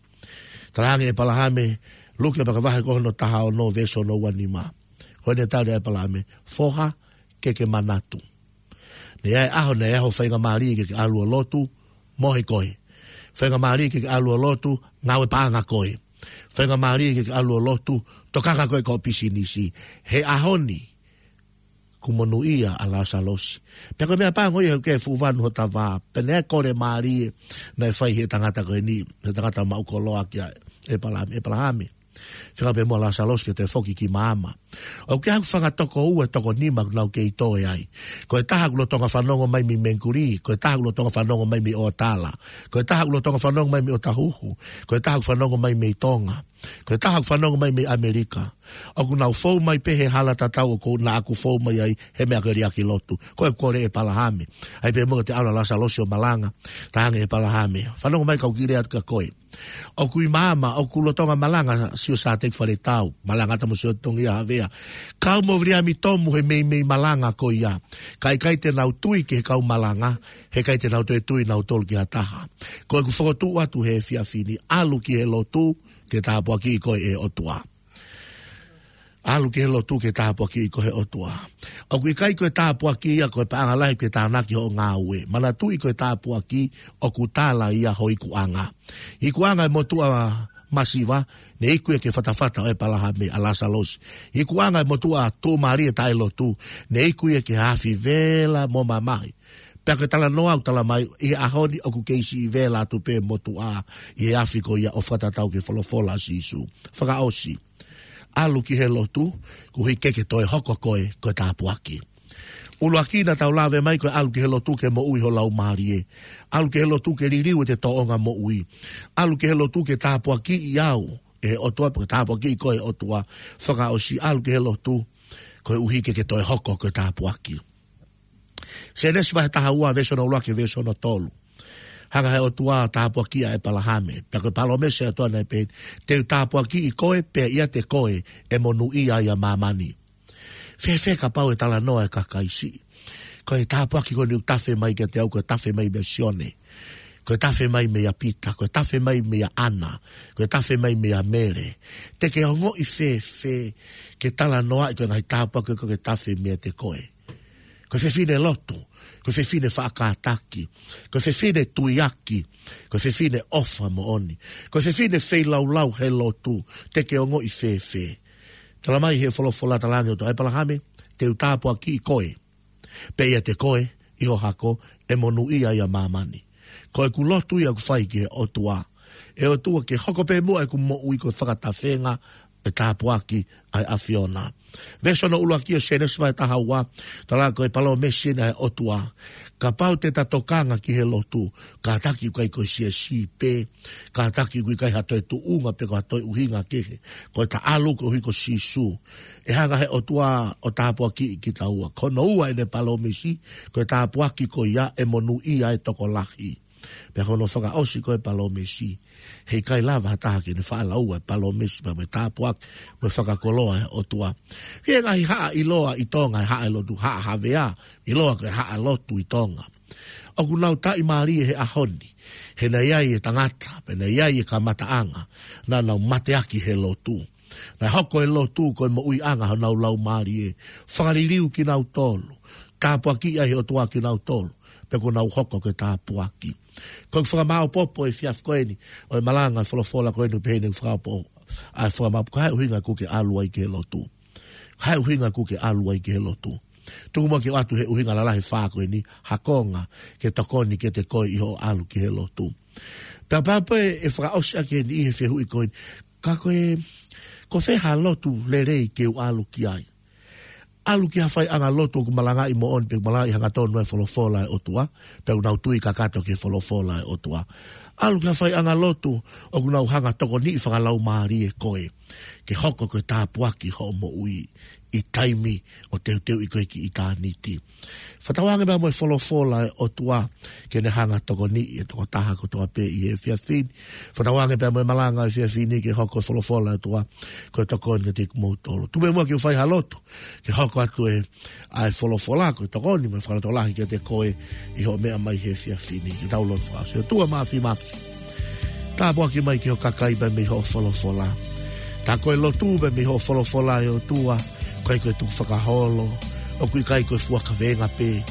Talaange ʻe ʻEpalahame, Luke pea ko e vahe ko hono taha ono veesi ono ua nima. Ko ʻene tali ʻa ʻEpalahame, foha, ke ke manatu. Naʻe ʻi ai e ʻaho, naʻe ʻi ai ho faingamālie ke ke ʻalu ʻo lotu, mohe koe. Faingamālie ke ke ʻalu ʻo lotu, ngāue paʻanga koe. Faingamālie ke ke ʻalu ʻo lotu, tokanga koe ki hoʻo pisinisi. He ʻaho ni, kuo monūʻia ʻa Lāsalosi. Pea ko e meʻapango ia he ʻoku fuʻu vanu hota vā. Pea naʻe kole mālie naʻe fai he tangata ko eni, he tangata maʻu koloa kia ʻEpalahame, ʻEpalahame, feinga pē muʻa ʻa Lāsalosi ke toe foki ki maama. ʻOku ʻi ai haku fanga toko ua, toko nima ʻoku nau kei toe ai. Ko e taha ʻoku lolotonga fanongo mai mei Mengikuli, ko e taha ʻoku lolotonga fanongo mai mei ʻOtala, ko e taha ʻoku lolotonga fanongo mai mei ʻOtahuhu, ko e taha ʻoku fanongo mai mei Tonga, ko e taha ʻoku fanongo mai mei ʻAmelika. ʻOku nau fou mai pē he hala tatau ʻoku, naʻa ku fou mai ai he meʻa ko e liʻaki lotu. Ko e kole ʻa ʻEpalahame. ʻAi pē muʻa ke ʻalu ʻa Lāsalosi ʻo malanga. Talaange ʻe ʻEpalahame, fanongo mai kau kiʻi lea atu kia koe. ʻOku ʻi maama, ʻoku lolotonga malanga Siaosi Sāteki Faletau, malanga atu mo Siaosi Tongia Havea. Kau mo Viliami Tomu he meimei malanga ko ia. Ka ʻikai te nau tui ki he kau malanga, he ʻikai te nau toe tui nautolu ki ha taha. Ko ʻeku fokotuʻu atu he efiafi ni, ʻalu ki he lotu ke tāpuakiʻi koe ʻe he ʻOtua. ʻAlu ki he lotu ke tāpuakiʻi koe ʻe he ʻOtua. ʻOku ʻikai ko e tāpuaki ia ko e paʻanga lahi ke tānaki hoʻo ngāue. Manatuʻi ko e tāpuaki ʻoku tala ia ho ikuʻanga. Ikuʻanga e motuʻa masiva, naʻe iku ia ki he fatafata ʻo ʻEpalahame, ʻa Lāsalosi. Ikuʻanga e motuʻa tuʻumālie taʻelotu, naʻe iku ia ki he afi vela mo mamahi. Pea ko e talanoa ʻoku tala mai, ʻi he ʻaho ni ʻoku kei siʻi vela atu pē motuʻa ʻi he afi ko ia ʻo fakatatau ki he folofola ʻa Sīsū. Fakaʻosi. ʻAlu ki he lotu, koeʻuhi ke ke toe hoko koe ko e tāpuaki. ʻUluaki naʻa tau lave mai ko e ʻalu ki he lotu ke moʻui ho laumālie. ʻAlu ki he lotu ke liliu ʻete tōʻonga moʻui. ʻAlu ki he lotu ke tāpuakiʻi au ʻe he ʻOtua, pe ke tāpuakiʻi koe ʻe he ʻOtua. Fakaʻosi, ʻalu ki he lotu koeʻuhi ke ke toe hoko ko e tāpuaki. Sēnesi vahe taha ua veesi hono ua ki he veesi hono tolu. Hanga he ʻOtua ʻo tāpuakiʻi ʻa ʻEpalahame. Pea ko e palōmesi ʻa e ʻOtua naʻe pehē ni, te u tāpuakiʻi koe, pea ʻiate koe ʻe monūʻia ai ʻa māmani. Fēfē kapau ʻe talanoa e kakai siʻi? Ko e tāpuaki ko eni ʻoku tafe mai kiate au, ko e tafe mai meia Sione. Ko e tafe mai meia Pita, ko e tafe mai meia ʻAna, ko e tafe mai meia Mele. Te ke ongoʻi fēfē ke talanoaʻi ko e ngaahi tāpuaki ko ē ʻoku tafe meiate koe? Ko e fefine lotu, ko e fefine faʻa kātaki, ko e fefine tuiaki, ko e fefine ʻofa moʻoni, ko e fefine feilaulau he lotu, te ke ongoʻi fēfē? Tala mai he folofola, talaange ʻe he ʻOtua, ʻĒpalahame, te u tāpuakiʻi koe, pea ʻiate koe ʻi ho hako, ʻe monūʻia ai ʻa māmani. Ko ʻeku lotu ia ʻoku fai ki he ʻOtua. ʻE ʻOtua, ke hoko pē muʻa ʻeku moʻui ko e fakatafenga ʻo e tāpuaki ʻa e ʻAfiona. Veesi hono ʻuluaki ʻo Sēnesi vahe taha ua, tala ko e palōmesi eni ʻa e ʻOtua. Kapau te ta tokanga ki he lotu, kātaki ʻoku ʻikai ko e siasi pē, kātaki ʻoku ʻikai ha toe tuʻunga pe ko ha toe ʻuhinga kehe. Ko ʻeta ʻalu koeʻuhi ko Sīsū, ʻe hanga ʻe he ʻOtua ʻo tāpuakiʻi kitaua. Ko hono ua ʻene palōmesi, ko e tāpuaki ko ia ʻe monūʻia ai e tokolahi. Pea ko hono fakaʻosi ko e palōmesi, heʻikai lava ha taha ke ne faʻa lau e palōmesi pea mo e tāpuaki mo e fakakoloa ʻa e ʻOtua. ʻI he ngaahi haʻa ʻiloa ʻi Tonga, e haʻa e lotu, Haʻa Havea, ʻiloa ko e haʻa lotu ʻi Tonga. ʻOku nau taʻimālie he ʻaho ni, he naʻe ʻi ai e tangata, pea naʻe ʻi ai e kamataʻanga, naʻa nau mateaki he lotu. Naʻe hoko e lotu ko e moʻuiʻanga honau laumālie, fakaliliu kinautolu, tāpuakiʻi ai ʻe he ʻOtua kinautolu, pea kuo nau hoko ko e tāpuaki. Ko e fakamāopoopo he efiafi ko eni ʻo e malanga e folofola ko eni, pehē ʻene fakaopoopo ʻa e fakamāopoopo, ko e hā e ʻuhinga ʻoku ke ʻalu ai ki he lotu? Ko e hā e ʻuhinga ʻoku ke ʻalu ai ki he lotu? Tuku muʻa ke ʻoatu e ʻuhinga lalahi ʻe fā ko eni, ha konga ke tokoni kiate koe ʻi hoʻo ʻalu ki he lotu. Pea pehē pē ʻe fakaʻosi ʻaki eni ʻi he fehuʻi ko eni, ka ko e, ko fē ha lotu lelei ke u ʻalu ki ai? ʻAlu ki ha faiʻanga lotu ʻoku malangaʻi moʻoni pe ʻoku malangaʻi hangatonu e folofola ʻa e ʻOtua, pea ʻoku nau tui kakato ki he folofola ʻa e ʻOtua. ʻAlu ki ha faiʻanga lotu ʻoku nau hanga ʻo tokoniʻi fakalaumālie koe ke hoko ko e tāpuaki hoʻo moʻui ʻi taimi ʻo teuteuʻi koe ki ʻitāniti. Fakatauange pea mo e folofola ʻa e ʻOtua ke ne hanga ʻo tokoniʻi e tokotaha kotoa pē ʻi he efiafi ni. Fakatauange pea mo e malanga he efiafi ni ke hoko e folofola ʻa e ʻOtua ko e tokoni kiate kimoutolu. Tuku muʻa ke u fai ha lotu ke hoko atu e, ʻa e folofola ko e tokoni mo e fakalotolahi kiate koe ʻi hoʻo meʻa mai he efiafi ni. Ke tau lotu fakaʻosi. ʻOtua Māfimafi, tāpuaki mai ki ho kakai pea mei hoʻo folofola. Tā ko e lotu pea mei hoʻo folofola ʻe ʻOtua, ʻoku ʻikai ko e tukufakaholo, ʻoku ʻikai ko e fua kavenga pē.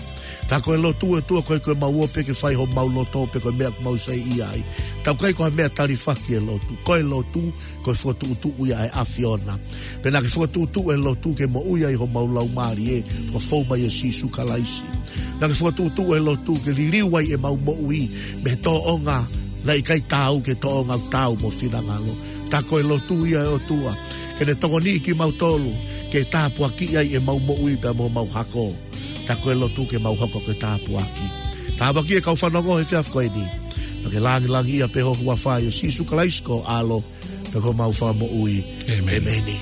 Tā ko e lotu ʻe ʻOtua, ʻoku ʻikai ko e mau ope ke fai homau loto pe ko e meʻa ʻoku mau saiʻia ai. Tā ʻoku ʻikai ko ha meʻa talifaki e lotu. Ko e lotu, ko e fokotuʻutuʻu ia ʻa e ʻAfiona. Pea naʻa ke fokotuʻutuʻu e lotu ke moʻui ai homau laumālie, fakafou mai ʻia Sīsū Kalaisi. Naʻa ke fokotuʻutuʻu e lotu ke liliu ai ʻemau moʻui mei he tōʻonga naʻe ʻikai taau ki he tōʻonga ʻoku taau mo ho finangalo. Tā ko e lotu ia ʻe ʻOtua, ke ne tokoniʻi kimautolu ke tāpuakiʻi ai ʻemau moʻui pea mo homau hako. Tā ko e lotu ke mau hoko ko e tāpuaki. Tāpuakiʻi e kau fanongo he efiafi ko eni. Naʻa ke langilangiʻia pē ho huafa, ʻia Sīsū Kalaisi ko ho ʻAlo pea ko homau Fakamoʻui. ʻĒmeni. ʻĒmeni.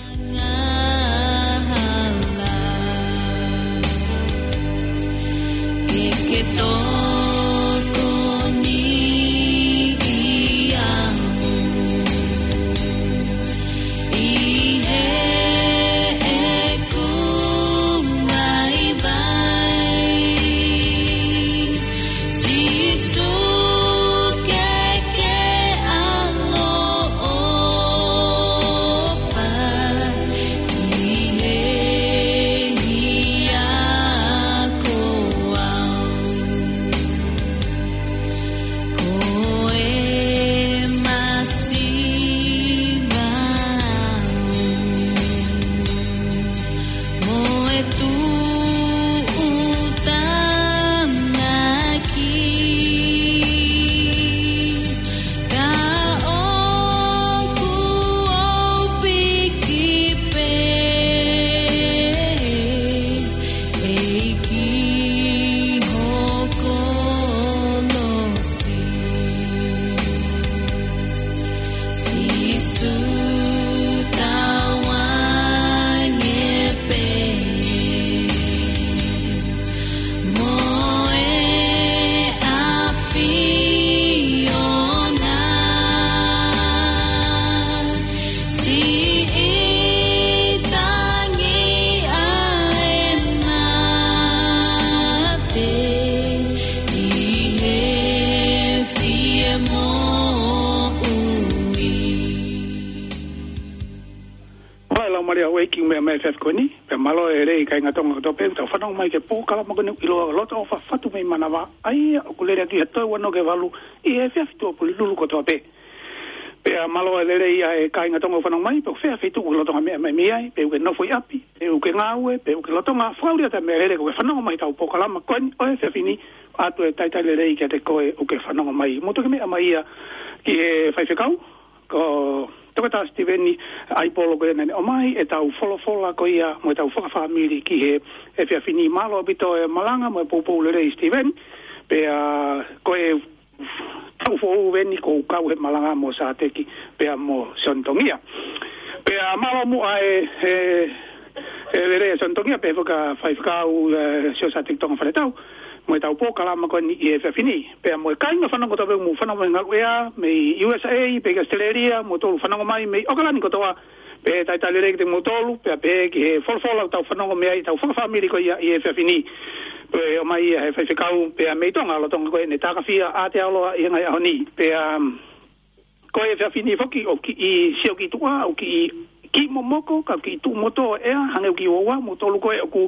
Mālō e houʻeiki, meʻa mai e efiafi ko eni, pea mālō e lelei kāinga Tonga kotoa pē, tau fanongo mai ki he polokalama ko eni ʻiloa Loto ʻOfa Fatu mei Manavā, ʻa ia ʻoku lele atu he toe ua noa ki he valu, ʻi he efiafi Tuʻapulelulu kotoa pē. Pea mālō e lelei ʻa e kāinga Tonga ʻoku fanongo mai, pe ko fē ha feituʻu ʻoku ke lolotonga meʻa mai mei ai, pe ʻoku ke nofo ʻi ʻapi, pe ʻoku ke ngāue, pe ʻoku ke lolotonga fakaʻuli atu e meʻalele, ko e fanongo mai ki heʻetau polokalama ko eni ʻo e efiafi ni, ʻoatu e talitali lelei kiate koe ʻoku ke fanongo mai. Mou toki meʻa mai ia ki he faifekau, ko Toketā Sitiveni Aipolo, ko ia naʻa ne ʻomai ʻetau folofola ko ia mo ʻetau fakafāmili ki he efiafi ni. Mālō ʻaupito e malanga mo e poupou lelei Sitiveni, pea ko e taʻu foʻou eni ʻoku ou kau he malanga mo Sateki pea mo Sione Tongia. Pea mālō muʻa e, e, e lelei ʻa Sione Tongia pea foki ʻa e faifekau, e, Siaosi Sateki Tonga Faletau, mo ʻetau polokalama ko eni ʻi he efiafi ni. Pea mo e kāinga fanongo kotoa pē ʻoku mou fanongo mai he ngaluʻea, mei U S A, pea ki ʻAositelēlia, moutolu fanongo mai mei ʻAokalani kotoa, pea talitali lelei kiate kimoutolu, pea pehē ki he folofola ʻoku tau fanongo mei ai, ʻetau fakafāmili ko ia ʻi he efiafi ni. Pea ʻomai ia he faifekau, pea mei Tonga, lolotonga ko ʻene takafia ʻa Aotearoa ʻi he ngaahi ʻaho ni. Pea, um, ko e efiafi ni foki ʻoku kiʻi sio ki tuʻa, ʻoku kiʻi, kiʻi momoko, ka kiʻi tuʻu motuʻa e ʻea, hangē ʻoku kiʻi uaua, moutolu ko ē ʻoku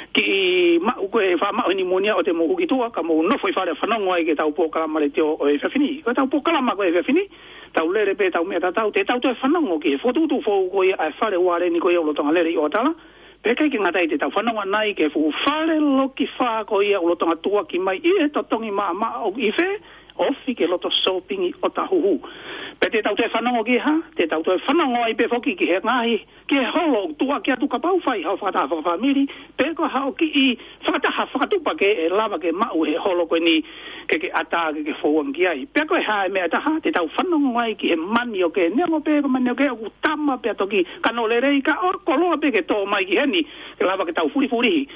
kiʻi maʻu ko ē faʻa maʻu e niumonia ʻoua te mou hū ki tuʻa, ka mou nofo ʻi fale fanongo ai ki heʻetau polokalama letiō ʻo e efiafi ni. Ko ʻetau polokalama ko e efiafi ni, tau lele pē ʻetau meʻa tatau, te tau toe fanongo ki he fokotuʻutuʻu foʻou ko ia ʻa e Fale Ualeni ko ia ʻoku lolotonga lele ʻi ʻOatala, pea ʻikai ke ngata ai, te tau fanongo ʻanai ki he fuʻu fale loki fā ko ia ʻoku lolotonga tuʻuaki mai ʻi he totongi maʻamaʻa ʻoku ʻi fē, ofi ki he loto sōpingi ʻo Tahuhu. Pea te tau toe fanongo ki he hā, te tau toe fanongo ai pē foki ki he ngaahi, ki he holo ʻoku tuʻuaki atu kapau ʻe fai haʻo fakataha fakafāmili, pe ko haʻo kiʻi fakataha fakatupa kehe ʻe lava ke maʻu he holo ko eni ke ke ʻatā ke ke fou ange ki ai. Pea ko e hā e meʻa ʻe taha, te tau fanongo ai ki he manioke, neongo pē ko e manioke ʻoku tama pea toki kano lelei ka ʻoku koloa pē ke tō mai ki heni, ke lava ke tau fulifulihi.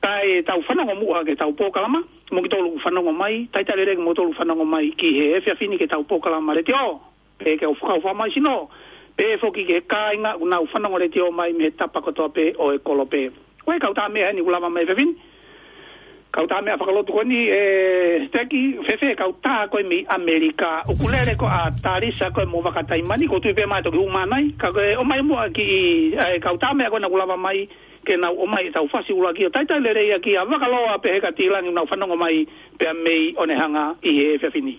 Kae tau fanongo muʻa ki heʻetau polokalama, mo kimoutolu ʻoku fanongo mai, talitali lelei kimoutolu ʻoku fanongo mai ki he efiafi ni ki heʻetau polokalama letiō. Pea ke u fakaʻofa mai sino, pea foki ki he kāinga ʻoku nau fanongo letiō mai mei he tapa kotoa pē ʻo e kolope. Ko e kau tā meʻa eni ʻoku lava mai he efiafi ni. Kau tā meʻa fakalotu ko eni, e, Teki, fēfē kau tā ko ē mei ʻAmelika, ʻoku lele ko ā Talisa ko ē mo Vakataimani, ʻoku ou tui pē ʻe toki hū mai nai, ka ko e ʻomai muʻa kiʻi, e, kau tā meʻa ko ena ʻoku lava mai, ke nau ʻomai ʻetau fasi ʻuluaki ʻo talitali lelei ʻaki ʻa Vakaloa pehē kia Tilangi ʻoku nau fanongo mai pea mei ʻOnehunga ʻi he efiafi ni.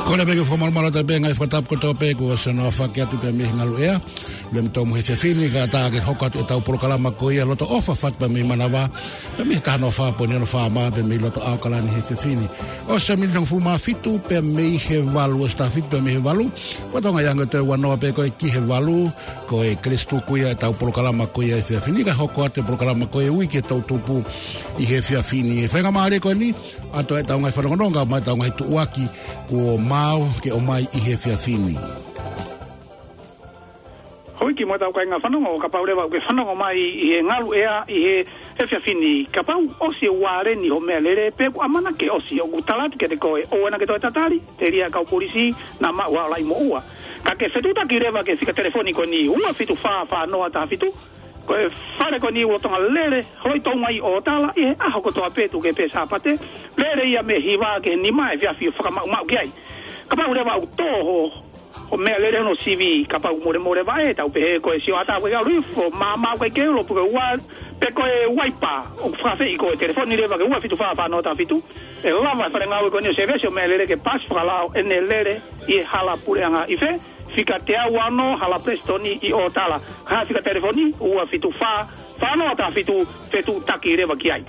Ko ia pē ke fakamalumalu atu pē ngaahi fakatapu kotoa pē kuo ʻosi hono aofaki atu pē mei he ngaluʻea. Lue mo tomu he efiafi ni, kae ʻatā ke hoko atu ʻetau polokalama ko ia Loto ʻOfa Fatu pē mei Manavā, pē mei he taha noa fā poini ono FM, pē mei loto ʻAokalani he efiafi ni. ʻOsi e miniti hongofulu mā fitu pē mei he valu, ʻosi taha fitu pē mei he valu. Ko e Tonga ia ngā toe ua noa pē ko ē ki he valu, ko e Kelesi Tuku ia ʻetau polokalama ko ia he efiafi ni, kae hoko atu e polokalama ko e Uike Toʻutupu ʻi he efiafi ni. Faingamālie ko eni, ʻoatu ʻetau ngaahi fanongononga mo ʻetau ngaahi tuʻuaki kuo maau ke ʻomai ʻi he efiafi ni. Houʻeiki mo ʻetau kāinga fanongo, kapau leva ʻoku ke fanongo mai ʻi he ngaluʻea ʻi he efiafi ni, kapau ʻosi e ualeni hoʻo meʻalele, pe ʻoku ʻamanaki ke ʻosi, ʻoku tala atu kiate koe, ʻoua naʻa ke toe tatali, telia e kau polisi, naʻa mau ʻalu ai mo ua. Ka ke fetuʻutaki leva ki he fika telefoni ko eni, ua fitu fā fā noa taha fitu, ko e fale ko eni ʻoku lolotonga lele, holo ʻi Tonga ʻi ʻOatala, ʻi he ʻaho kotoa pē tuku kehe pē Sāpate, lele ia mei he hiva ki he nima efiafi ʻo fakamaʻumaʻu ki ai. Kapau leva ʻoku tō ho Ko e meʻalele hono sivi kapau molemole vaʻe, tau pehē ko e sioʻata ʻoku ʻikai ke ʻalu hifo, māmā ʻoku ʻikai ke ulo, pe ko e ua, pe ko e uaipa ʻoku fakaafeʻi koe, telefoni leva ki he ua fitu fā fā noa taha fitu. ʻE lava e fale ngāue ko eni ʻo sēvesi ʻo meʻalele ke paasi fakalao ʻene lele ʻi he hala puleʻanga. ʻI fē? Fika teau ono Hala Palesitoni ʻi ʻOtala. Ka fika telefoni ua fitu fā fā noa taha fitu, fetuʻutaki leva ki ai.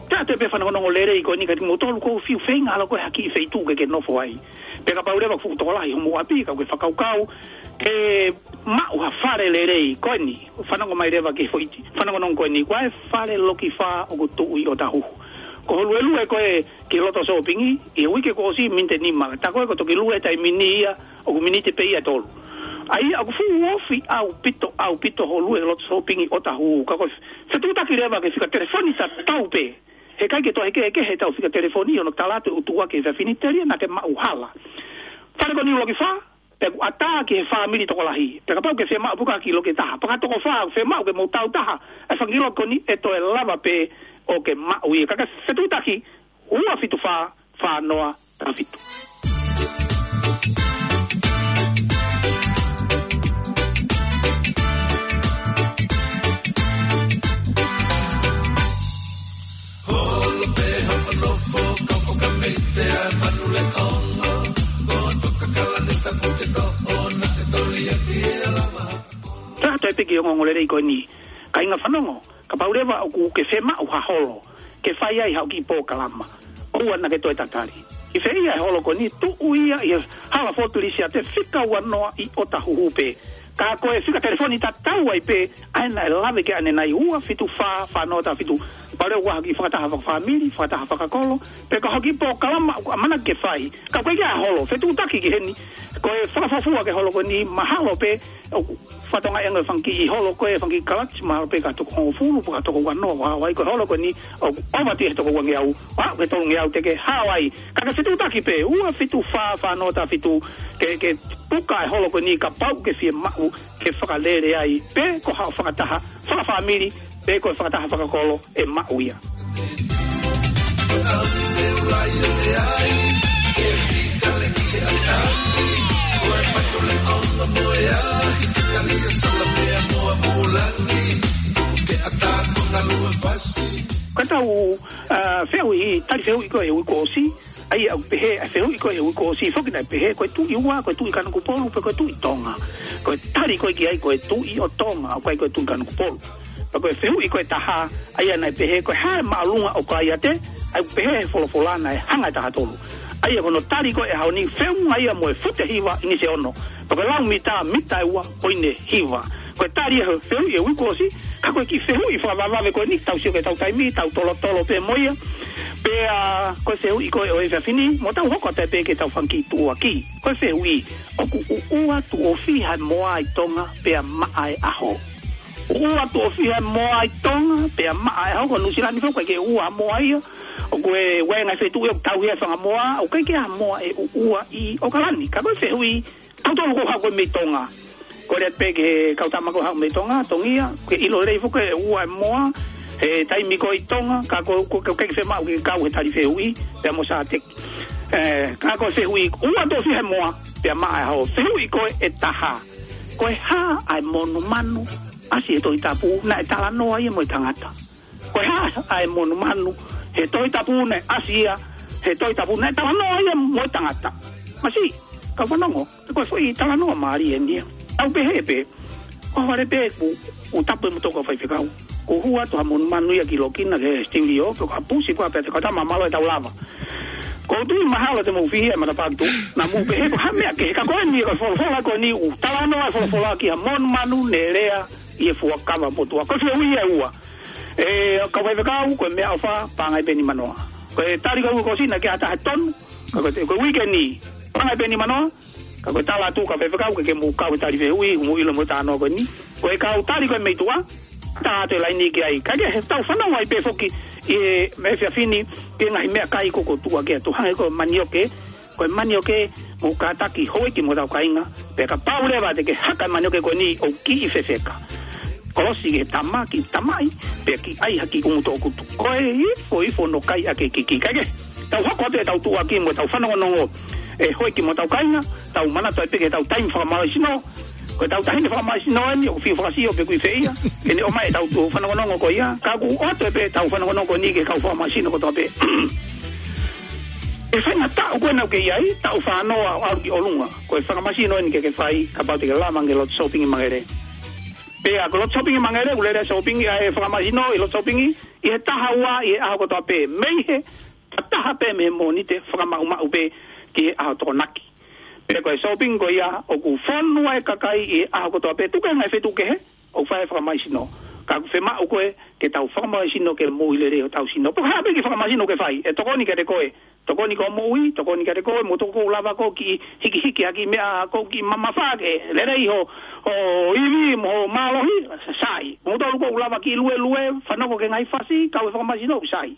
Pea toe pē fanongonongo lelei ko eni kiate kimoutolu ʻoku fiu feinga ʻalu ko ē ha kiʻi feituʻu ke ke nofo ai. Pea kapau leva ʻoku fuʻu tokolahi hoʻomou ʻapi, ka ʻoku ke fakakaukau ke maʻu ha fale lelei ko eni, fanongo mai leva ki he foʻi fanongonongo ko eni, ko e fale loki fā ʻoku tuʻu ʻi ʻOtahuhu. Ko hoʻo luelue ko ē ki loto sōpingi ʻi he uike kuo ʻosi, miniti ʻe nima. Tā ko ē kuo toki lue he taimi ni ia, ʻoku miniti pē ia ʻe tolu. ʻA ia ʻoku fuʻu ofi ʻaupito, ʻaupito hoʻo lue loto sōpingi ʻOtahuhu. Ka ko e fetuʻutaki leva ke fika telefoni tatau pē. He ʻikai ke toe kehekehe ʻetau fika telefoni ʻo ne tala atu e ʻutuʻa ki he efiafi ni telia naʻa ke maʻu hala. Fale ko eni loki fā, pea ʻoku ʻatā ki he fāmili tokolahi. Pea kapau ʻoku ke fiemaʻu pē ha kiʻi loki ʻe taha, pe ko ha toko fā, fiemaʻu ke mou tau taha e fanga kiʻi loki ko eni, ʻe toe lava pē ʻo ke maʻu ia. Ka ke fetuʻutaki, ua fitu fā fā noa taha fitu. Holo pē hoʻo nofo, kau fakameite ʻa Manuleʻono, ko Toka Kalani Tapu ke toʻo na e toli ʻa ki ala maha. Taha toe piki ongoongo lelei ko eni. Kāinga fanongo, kapau leva ʻoku ke fiemaʻu ha holo ke fai ai haʻo kiʻi polokalama, ʻoua naʻa ke toe tatali. ʻI fē ia e holo ko eni? Tuʻu ia ʻi he Hala Fort Lisiate, fika ua noa ʻi ʻOtahuhu pē. Ka ko e fika telefoni tatau ai pē, ʻa ia naʻe lave ki ai ʻanenai, ua fitu fā fā noa taha fitu. Pea leva ʻoku ʻi ai ha kiʻi fakataha fakafāmili, fakataha fakakolo, pe ko ha kiʻi polokalama ʻoku ʻamanaki ke fai, ka ʻoku ʻikai ke ʻi ai ha holo, fetuʻutaki ki heni. Ko e fakafuofua ki he holo ko eni, mahalo pē ʻoku fakatokangaʻi ange ʻe he fanga kiʻi holo ko ē, fanga kiʻi kalati, mahalo pē ka toko hongofulu, pe ka toko uanoa, ʻoku hao ai. Ko e holo ko eni ʻoku ʻohovale he toko uangeau, ʻo aʻu ki he tolungeau te ke hao ai. Ka ke fetuʻutaki pē, ua fitu fā fā noa taha fitu, ke, ke puka e holo ko eni kapau ʻoku ke fiemaʻu ke fakalele ai, pe ko haʻo fakataha fakafāmili, pe ko e fakataha fakakolo, ʻe maʻu ia. Ko ʻetau, ā, fehuʻi, tali fehuʻi ko ē he uike kuo ʻosi, ʻa ia ʻoku pehē, ʻa e fehuʻi ko ē he uike kuo ʻosi foki naʻe pehē, ko e Tuʻi ua, ko e Tuʻi Kanokupolu, pe ko e Tuʻi Tonga. Ko e tali ko ē ki ai, ko e Tuʻi ʻo Tonga, ʻoku ʻikai ko e Tuʻi Kanokupolu. Pea ko e fehuʻi ko ē ʻe taha, ʻa ia naʻe pehē, ko e hā e māʻolunga ʻo Kolaiate? ʻA ia ʻoku pehē he folofola naʻe hanga ʻe taha tolu. ʻA ia ko hono tali ko ē he ʻaho ni, feʻunga ia mo e fute hiva ʻinisi ʻe ono. Pea ko e lau mita, mita ʻe ua poini hiva. Ko e tali ia he fehuʻi he uike kuo ʻosi, ka ko e kiʻi fehuʻi fakavavevave ko eni, tau sio ki heʻetau taimi, tau tolotolo pē mo ia. Pea ko e fehuʻi ko ē ʻo e efiafi ni, mo tau hoko atu pē ki heʻetau fanga kiʻi tuʻuaki. Ko e fehuʻi, ʻoku ʻuʻua tuʻo fiha e moa ʻi Tonga pea maʻa e ʻaho? ʻUʻua tuʻo fiha e moa ʻi Tonga pea maʻa e ʻaho? Ko Nuʻusila ni foki ʻoku ʻikai ke ʻuʻua moa ia. ʻOku ʻi ai e ngaahi feituʻu ʻoku tauhi ai e fanga moa, ʻoku ʻikai ke ʻi ai ha moa ʻe ʻuʻua ʻi ʻAokalani. Ka ko e fehuʻi, kitautolu ʻoku haʻu ko ē mei Tonga. Ko e lea pē ki he kau tama ʻoku haʻu mei Tonga, Tongia, ke ʻilo lelei foki e ʻuʻua e moa he taimi ko ē ʻi Tonga, ka ko, ko, ko, ʻikai ke fiemaʻu ke kau he tali fehuʻi pea mo Sateki. Ē, ka ko e fehuʻi, ʻuʻua tuʻo fiha e moa pea maʻa e ʻaho? Fehuʻi ko ē ʻe taha, ko e hā ʻa e monumanu ʻasi he Tohi Tapu naʻe talanoa ia mo e tangata? Ko e hā ʻa e monumanu he Tohi Tapu naʻe ʻasi ia he Tohi Tapu naʻe talanoa ia mo e tangata? Masiʻi, kau fanongo, ko e foʻi talanoa mālie eni ia. Tau pehē pē, ʻohovale pē kuo, kuo tapu e motuʻa kau faifekau, kuo hū atu ha monumanu ia ki Lokina ki he studio, pea ka pusi pē pea te kau tama mālō ʻetau lava. Ko u tui mahalo te mou fihi e matapā ki tuʻa, naʻa mou pehē ko ha meʻa kehe, ka ko eni ko e folofola ko eni ʻoku talanoa e folofola ki ha monumanu ne lea ʻi he fuakava motuʻa. Ko e fehuʻi ia ʻe ua. Ē, kau faifekau, ko e meʻaʻofa, Pangai Penimanoa. Ko e tali ko ē he uike kuo ʻosi naʻe ʻikai ha taha tonu, ka ko e, ko e uike ni, Pangai Penimanoa. Ka ko e tala atu, kau faifekau, ke, ke mou kau he tali fehuʻi, mou ʻilo mo e talanoa ko eni. Ko e kau tali ko ē mei tuʻa, tā atu e laini ki ai. Ka ke he tau fanongo ai pē foki ʻi he efiafi ni ki he ngaahi meʻakai ko ē ʻoku tuʻuaki atu, hangē ko e manioke, ko e manioke, mou kātaki houʻeiki mo hotau kāinga, pea kapau leva te ke haka e manioke ko eni ʻoku kiʻi fefeka. Kolosi ki he tama, ki tamaʻi, pea ki ai ha kiʻi ʻumu toʻukutu. Ko e ifo, ifo no kai ake kiki. Kae kehe, tau hoko atu ʻetau tuʻuaki mo ʻetau fanongonongo ʻe Hoiki mo hotau kāinga, tau manatu ai pē ki heʻetau taimi fakamālohisino. Ko ʻetau taimi fakamālohisino eni, ʻoku fiu fakasio pe ʻoku ʻi fē ia, ke ne ʻomai ʻetau tuʻu fanongonongo ko ia, ka ʻoku ʻoatu pē ʻetau fanongonongo ko eni ki he kau fakamālohisino kotoa pē. ʻE faingataʻa ko ena ʻoku ke ʻi ai, taʻu fāngofulu ʻo ʻalu ki ʻolunga. Ko e fakamālohisino eni ke ke fai, kapau te ke lava ange lotu sōpingi Mangere. Pea ko e lotu sōpingi Mangere, ʻoku lele sōpingi, ʻa e fakamālohisino ʻi lotu sōpingi, ʻi he taha ua, ʻi he ʻaho kotoa pē, mei he taha pē mei he Mōnite fakamaʻumaʻu pē ki he ʻaho Tokonaki. Pea ko e sōpingi ko ia, ʻoku fonu ai e kakai ʻi he ʻaho kotoa pē, tuku e ngaahi feituʻu kehe, ʻoku fai e fakamālohisino. Ka ʻoku fiemaʻu ko ē, ke tau fakamālohisino ke moʻui lelei hotau sino. Pea ko e hā pē kiʻi fakamālohisino ʻoku ke fai, ʻe tokoni kiate koe, tokoni ki hoʻo moʻui, tokoni kiate koe, mo tokoni ʻoku lava koe ke hikihiki ha kiʻi meʻa, koe ke mamafa ke lelei ho, ho ivi mo ho mālohi, sai. Mo tokoni ʻoku lava ke luelue, fanongo ki he ngaahi fasi, kau he fakamālohisino, sai.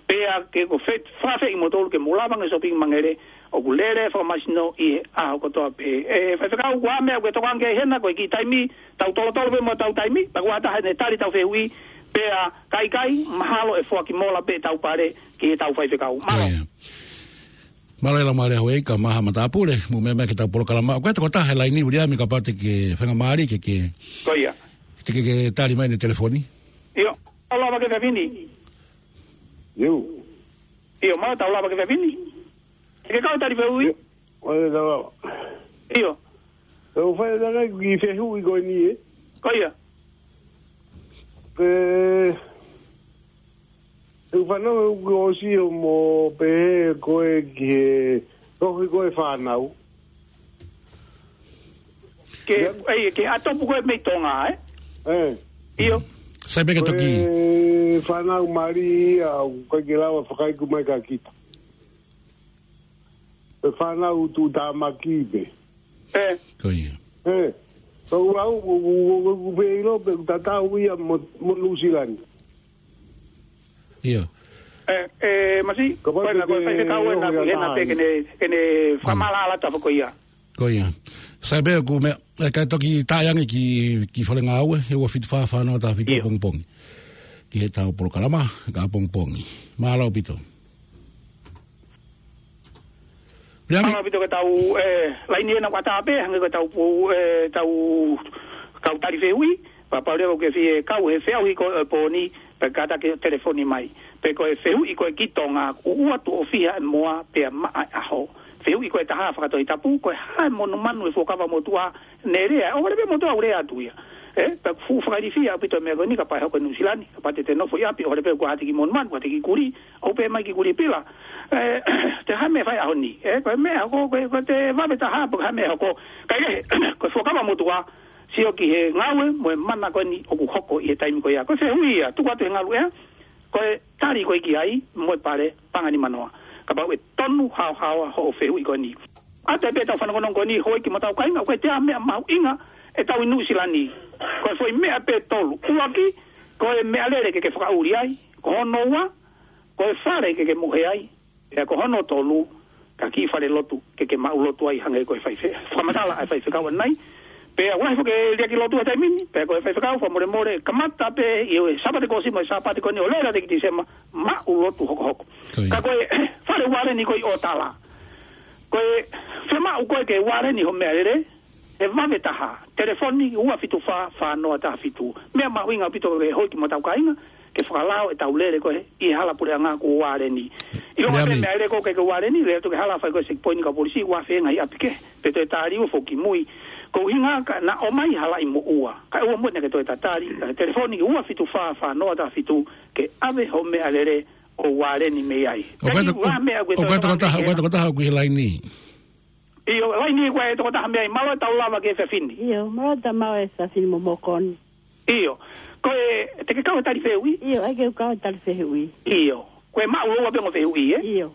Pea ke ko e fe-, fakaafeʻi kimoutolu ke mou lava ange sōpingi Mangere, ʻoku lele e fakamālohisino ʻi he ʻaho kotoa pē. ʻE, faifekau, ko e hā e meʻa ʻoku ke tokanga ki ai hena, ko e kiʻi taimi, tau tolotolo pē mo ʻetau taimi, pea ko e taha ʻe tali ʻetau fehuʻi, pea ka ʻikai, mahalo ʻe foaki mola pē ʻetau pale ki heʻetau faifekau. Mālō. Ko ia. Mālō e lau mālie Hoiki, ka maha matāpule, mou meʻa mai ki heʻetau polokalama. Ko e tokotaha he laini, Viliami, kapau te ke faingamālie ke ke, Ko ia. te ke, ke tali mai ʻene telefoni. ʻIo, tau lava ki he fefine. ʻIo. ʻIo, mālō, tau lava ki he fefine. Te ke kau tali fehuʻi? ʻIo, ʻoe tau lava. ʻIo. ʻOku ou fai ʻe au e kiʻi fehuʻi ko eni, ē? Ko ia. Ke, ʻoku ou fanongo ʻoku ʻosi ʻo mo pehē ko ē ki he tohi ko ē fānau. Ke, Ia. ʻEi, ke ʻatopu ko ē mei Tonga, ē? ʻE. ʻIo. Sai pē ke Ko toki e fānau mali ia, ʻoku ʻikai ke lava fakaiku mai kia kita. Ko e fānau tuʻutāmaki pē. ʻE. Ko ia. ʻE. Ko au, ʻoku, ʻoku, ʻoku, ʻoku pē ʻilo pē ʻoku tatau ia mo, mo Nuʻusila ni. ʻIo. ʻE, ʻe, Masi, Kapau ko ena te ko e te faifekau ena ʻoho ia kuhena pē taha ke ne, ke ne Mm. fakamālō ʻa e lata fakaʻoia. Ko ia. Sai pē ʻoku meʻa, ʻe, kae toki tā ange ki, ki Fale Ngāue, he ua fitu fā fā noa taha fitu ʻIo. ʻapongipongi. Ki heʻetau polokalama, ka ʻapongipongi. Mālō ʻaupito. Viliami. Mālō ʻaupito ki heʻetau, ʻe, laini ena ʻoku ʻatā pē, hangē ko ʻetau pō, ʻe, tau, tau tali fehuʻi, pea kapau leva ʻoku ke fie kau he feʻauhi ko ē ʻo e pō ni, pea kātaki ʻo telefoni mai. Pe ko e fehuʻi ko ē ki Tonga, ʻoku ʻoatu ʻo fiha e moa pea maʻa e ʻaho. Fehuʻi ko ē ʻe taha fakatohitapu, ko e hā e monumanu ʻo e Fuakava Motuʻa, ne lea, ʻohovale pē motuʻa ʻo lea atu ia. ʻE, pea fuʻu fakailifia ʻaupito e meʻa ko eni kapau ʻe hoko ʻi Nuʻusila ni, kapau te te nofo ʻi ʻapi, ʻohovale pē kuo ʻoatu e kiʻi monumanu, kuo ʻoatu e kiʻi kulī, ʻoku pehē mai e kiʻi kulī pila. ʻE, te hā e meʻa ʻe fai he ʻaho ni. ʻE, ko e meʻa ko, ko, ko e te vave taha, pe ko e hā e meʻa ʻe hoko. Kae kehe, ko e Fuakava Motuʻa, sio ki he ngāue mo e mana ko eni ʻoku hoko ʻi he taimi ko ia. Ko e fehuʻi ia, tuku atu he ngalu ea, ko e tali ko ē ki ai, mo e pale, pangani manoa. Kapau ʻe tonu haohaoa hoʻo fehuʻi ko eni. ʻAtā pē ʻetau fanongonongo ko eni, Hoiki mo hotau kāinga, ko e te ʻa meʻa mahuʻinga ʻetau ʻi Nuʻusila ni. Ko e foʻi meʻa pē ʻe tolu. ʻUluaki, ko e meʻalele ke ke fakaʻuli ai. Ko hono ua, ko e fale ke ke mohe ai. Pea ko hono tolu, ka kiʻi fale lotu, ke ke maʻu lotu ai hangē ko e fai fe-, fakamatala ʻa e faifekau ʻanenai. Pea ʻoku lahi foki e liʻaki lotu he taimi ni, pea ko e faifekau fakamolemole, kamata pē ʻi he Sāpate kuo ʻosi mo e Sāpate ko eni ʻo lele atu ki Tīsema, maʻu lotu hokohoko. Ko ia. Ka ko e fale ualeni ko ē ʻo tala. Ko e fiemaʻu ko ē ke ualeni ho meʻalele, ʻe vave taha, telefoni ua fitu fā, fā noa taha fitu. Meʻa mahuʻinga ʻaupito ʻe Hoiki mo hotau kāinga, ke fakalao ʻetau lele ko ē ʻi he hala puleʻanga kuo ualeni. ʻIlonga pē Viliami. Meʻalele ko ē ʻoku ʻikai ke ualeni, lele atu ki he hala fai ko ē checkpoint ka polisi, ʻoku ʻi ai e ngaahi ʻapi kehe, pe toe tali ua foki mui. Ko e ʻuhinga ka na ʻomai hala ʻi moʻua. Kae ʻoua muʻa naʻa ke toe tatali, ka telefoni ua fitu fā, fā noa taha fitu, ke ʻave ho meʻalele ʻo ualeni mei ai. ʻOku ʻi ai Kae to-, ua meʻa ʻoku ʻi ai ʻoku ʻi ai tokotaha, ʻoku ʻi ai tokotaha ʻoku ʻi he laini. ʻIo, laini ko e tokotaha mei ai, mālō e tau lava ki he fefine. ʻIo, mālō e tau maʻu e fefine mo mokoni. ʻIo, ko e, te ke kau he tali fehuʻi? ʻIo, ʻai ke u kau he tali fehuʻi. ʻIo, ko e maʻu ua pē ongo fehuʻi, ē? ʻIo.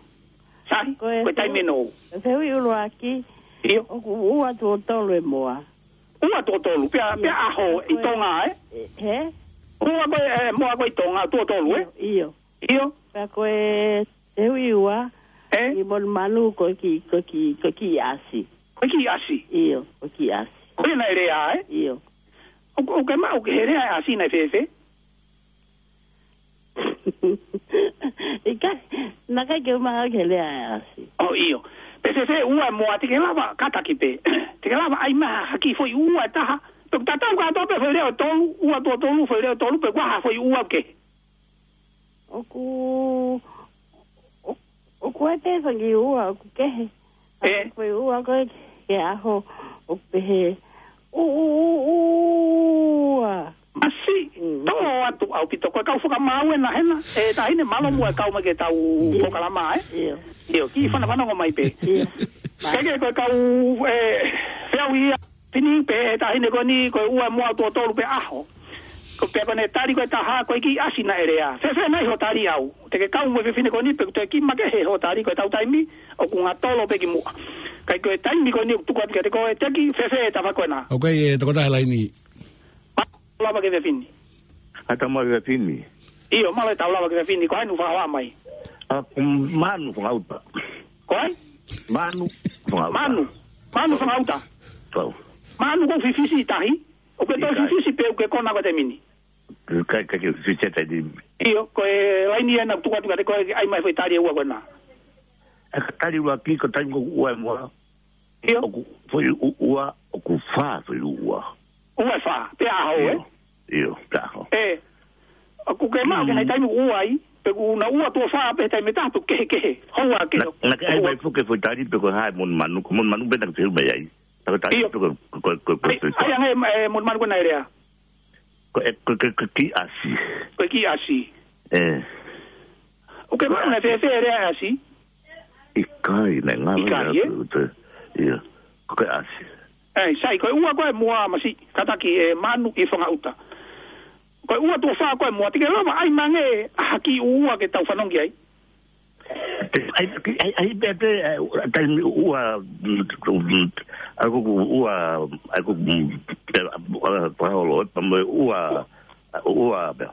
Sai, Ko e ko e taimi fehu-, ʻe nou. Fehuʻi ʻuluaki. ʻIo. ʻOku ua tuʻo tolu e moa. Ua tuʻo tolu, pea, pea ʻIo. ʻAho ʻi Ko e, Tonga, ē? ʻE, hē? Ua ko e, ʻe, moa ko ē ʻi Tonga, tuʻo tolu, ē? ʻIo, ʻio. ʻIo. Pea ko e fehuʻi ua, ʻE? ʻi monumanu ko e kiʻi, ko e kiʻi, ko e kiʻi ʻasi. Ko e kiʻi ʻasi? ʻIo, ko e kiʻi ʻasi. Ko ena ʻe lea, ē? ʻIo. ʻOku, ʻoku ke maʻu ki he lea ʻa e ʻasi naʻe fēfē? ʻIkai, naʻe ʻikai ke u maʻu ki he lea ʻa e ʻasi. ʻOi, ʻio. Pea fēfē ua e moa, te ke lava, kātaki pē. Te ke lava ʻai mai ha kiʻi foʻi ua ʻe taha. Pea ʻoku tatau kātoa pē foʻi leʻo ʻe tolu, ua tuʻo tolu, foʻi leʻo ʻe tolu, pe ko e hā foʻi ua ʻoku kehe. ʻOku, ʻo-, ʻoku ʻi ai pē fanga kiʻi ua ʻoku kehe. ʻE? Ko e ua ko ē ki he ʻaho ʻoku pehē, ʻū, ʻū, ʻū, ʻū, ua. Masiʻi, Mm. tō atu ʻaupito. Ko e kau fakamaau ena hena, ʻe Taʻahine, mālō muʻa e kau mai ki heʻetau ʻIo. polokalama, ē? ʻIo. ʻIo, kiʻi fanafanongo mai pē. ʻIo. Kae kehe ko e kau, ē, feau ia, fini pē ʻe Taʻahine ko eni, ko e ua e moa tuʻo tolu pē ʻaho. Ko e pea ko ʻene tali ko ē ʻe taha, ko e kiʻi ʻasi naʻe lea. Fēfē nai hoʻo tali au? Te ke kau mo e fefine ko eni, pe ʻoku toe kiʻi makehe hoʻo tali, ko ʻetau taimi, ʻoku ngatolo pē ki muʻa. Kae ko e taimi ko eni ʻoku tuku atu kiate koe, Teki, fēfē e tafaʻaki ko ena? ʻOku ʻi ai e tokotaha he laini. Mālō e tau lava ki he fefine. ʻA, tau lava ki he fefine. ʻIo, mālō e tau lava ki he fefine, ko hai ʻoku fakahoa mai? ʻA, ko Manu Fangauta. Ko hai? Manu Fangauta. Manu. Manu Fangauta. Tau. Manu, ʻoku ke fifisi ʻi tahi? ʻOku ke toe ʻIkai. fifisi pe ʻoku ke kona koe he taimi ni? ʻIkai, ʻikai ke fifisi he taimi ni. ʻIo, ko e laini ena ʻoku tuku atu kiate koe, ʻai mai foʻi tali ʻe ua ko ena. ʻA, tali ua ki ko e taimi ko ē ua e moa. ʻIo. ʻOku foʻi ʻū ua, ʻoku fā foʻi ʻū ua. Ua ʻe fā, pē ʻaho, ʻIo. ē? ʻIo, pē ʻaho. ʻE, ʻoku ke maʻu ki he Mm. ngaahi taimi ua ai, pe ʻoku na ua tuʻo fā pē he taimi ʻe taha pe ʻoku kehekehe. Houa ke Na, naʻa ke ʻai mai fuʻu ke foʻi tali pe ko e hā e monumanu, ko e monumanu pē naʻa ke fehuʻi mai ai. Naʻa ke tali ʻIo. pe ko, ko, ko, ko, ʻAi, ko, ʻai ange, ē, monumanu ko ena ʻe lea. Ko e, ko, ko, ko e kiʻi ʻasi. Ko e kiʻi ʻasi. ʻE. ʻOku ke maʻu naʻe fēfē e lea ʻasi? ʻIkai, naʻe ngalo ʻIkai, ia ē? atu, ʻio. Ko e ʻasi. ʻE, sai, ko e ua ko ē moa masiʻi, kātaki ē Manu ʻi Fangauta. Ko e ua tuʻo fā ko ē moa, te ke lava ʻai mai ange ha kiʻi ua ke tau fanongo ai. ʻAi, ʻai, ʻai, pē, pē, ē, taimi ua, mm, mm, ʻa ko e ua, ʻa ko e, mm, pē, ua, ua, ua, ua, pē.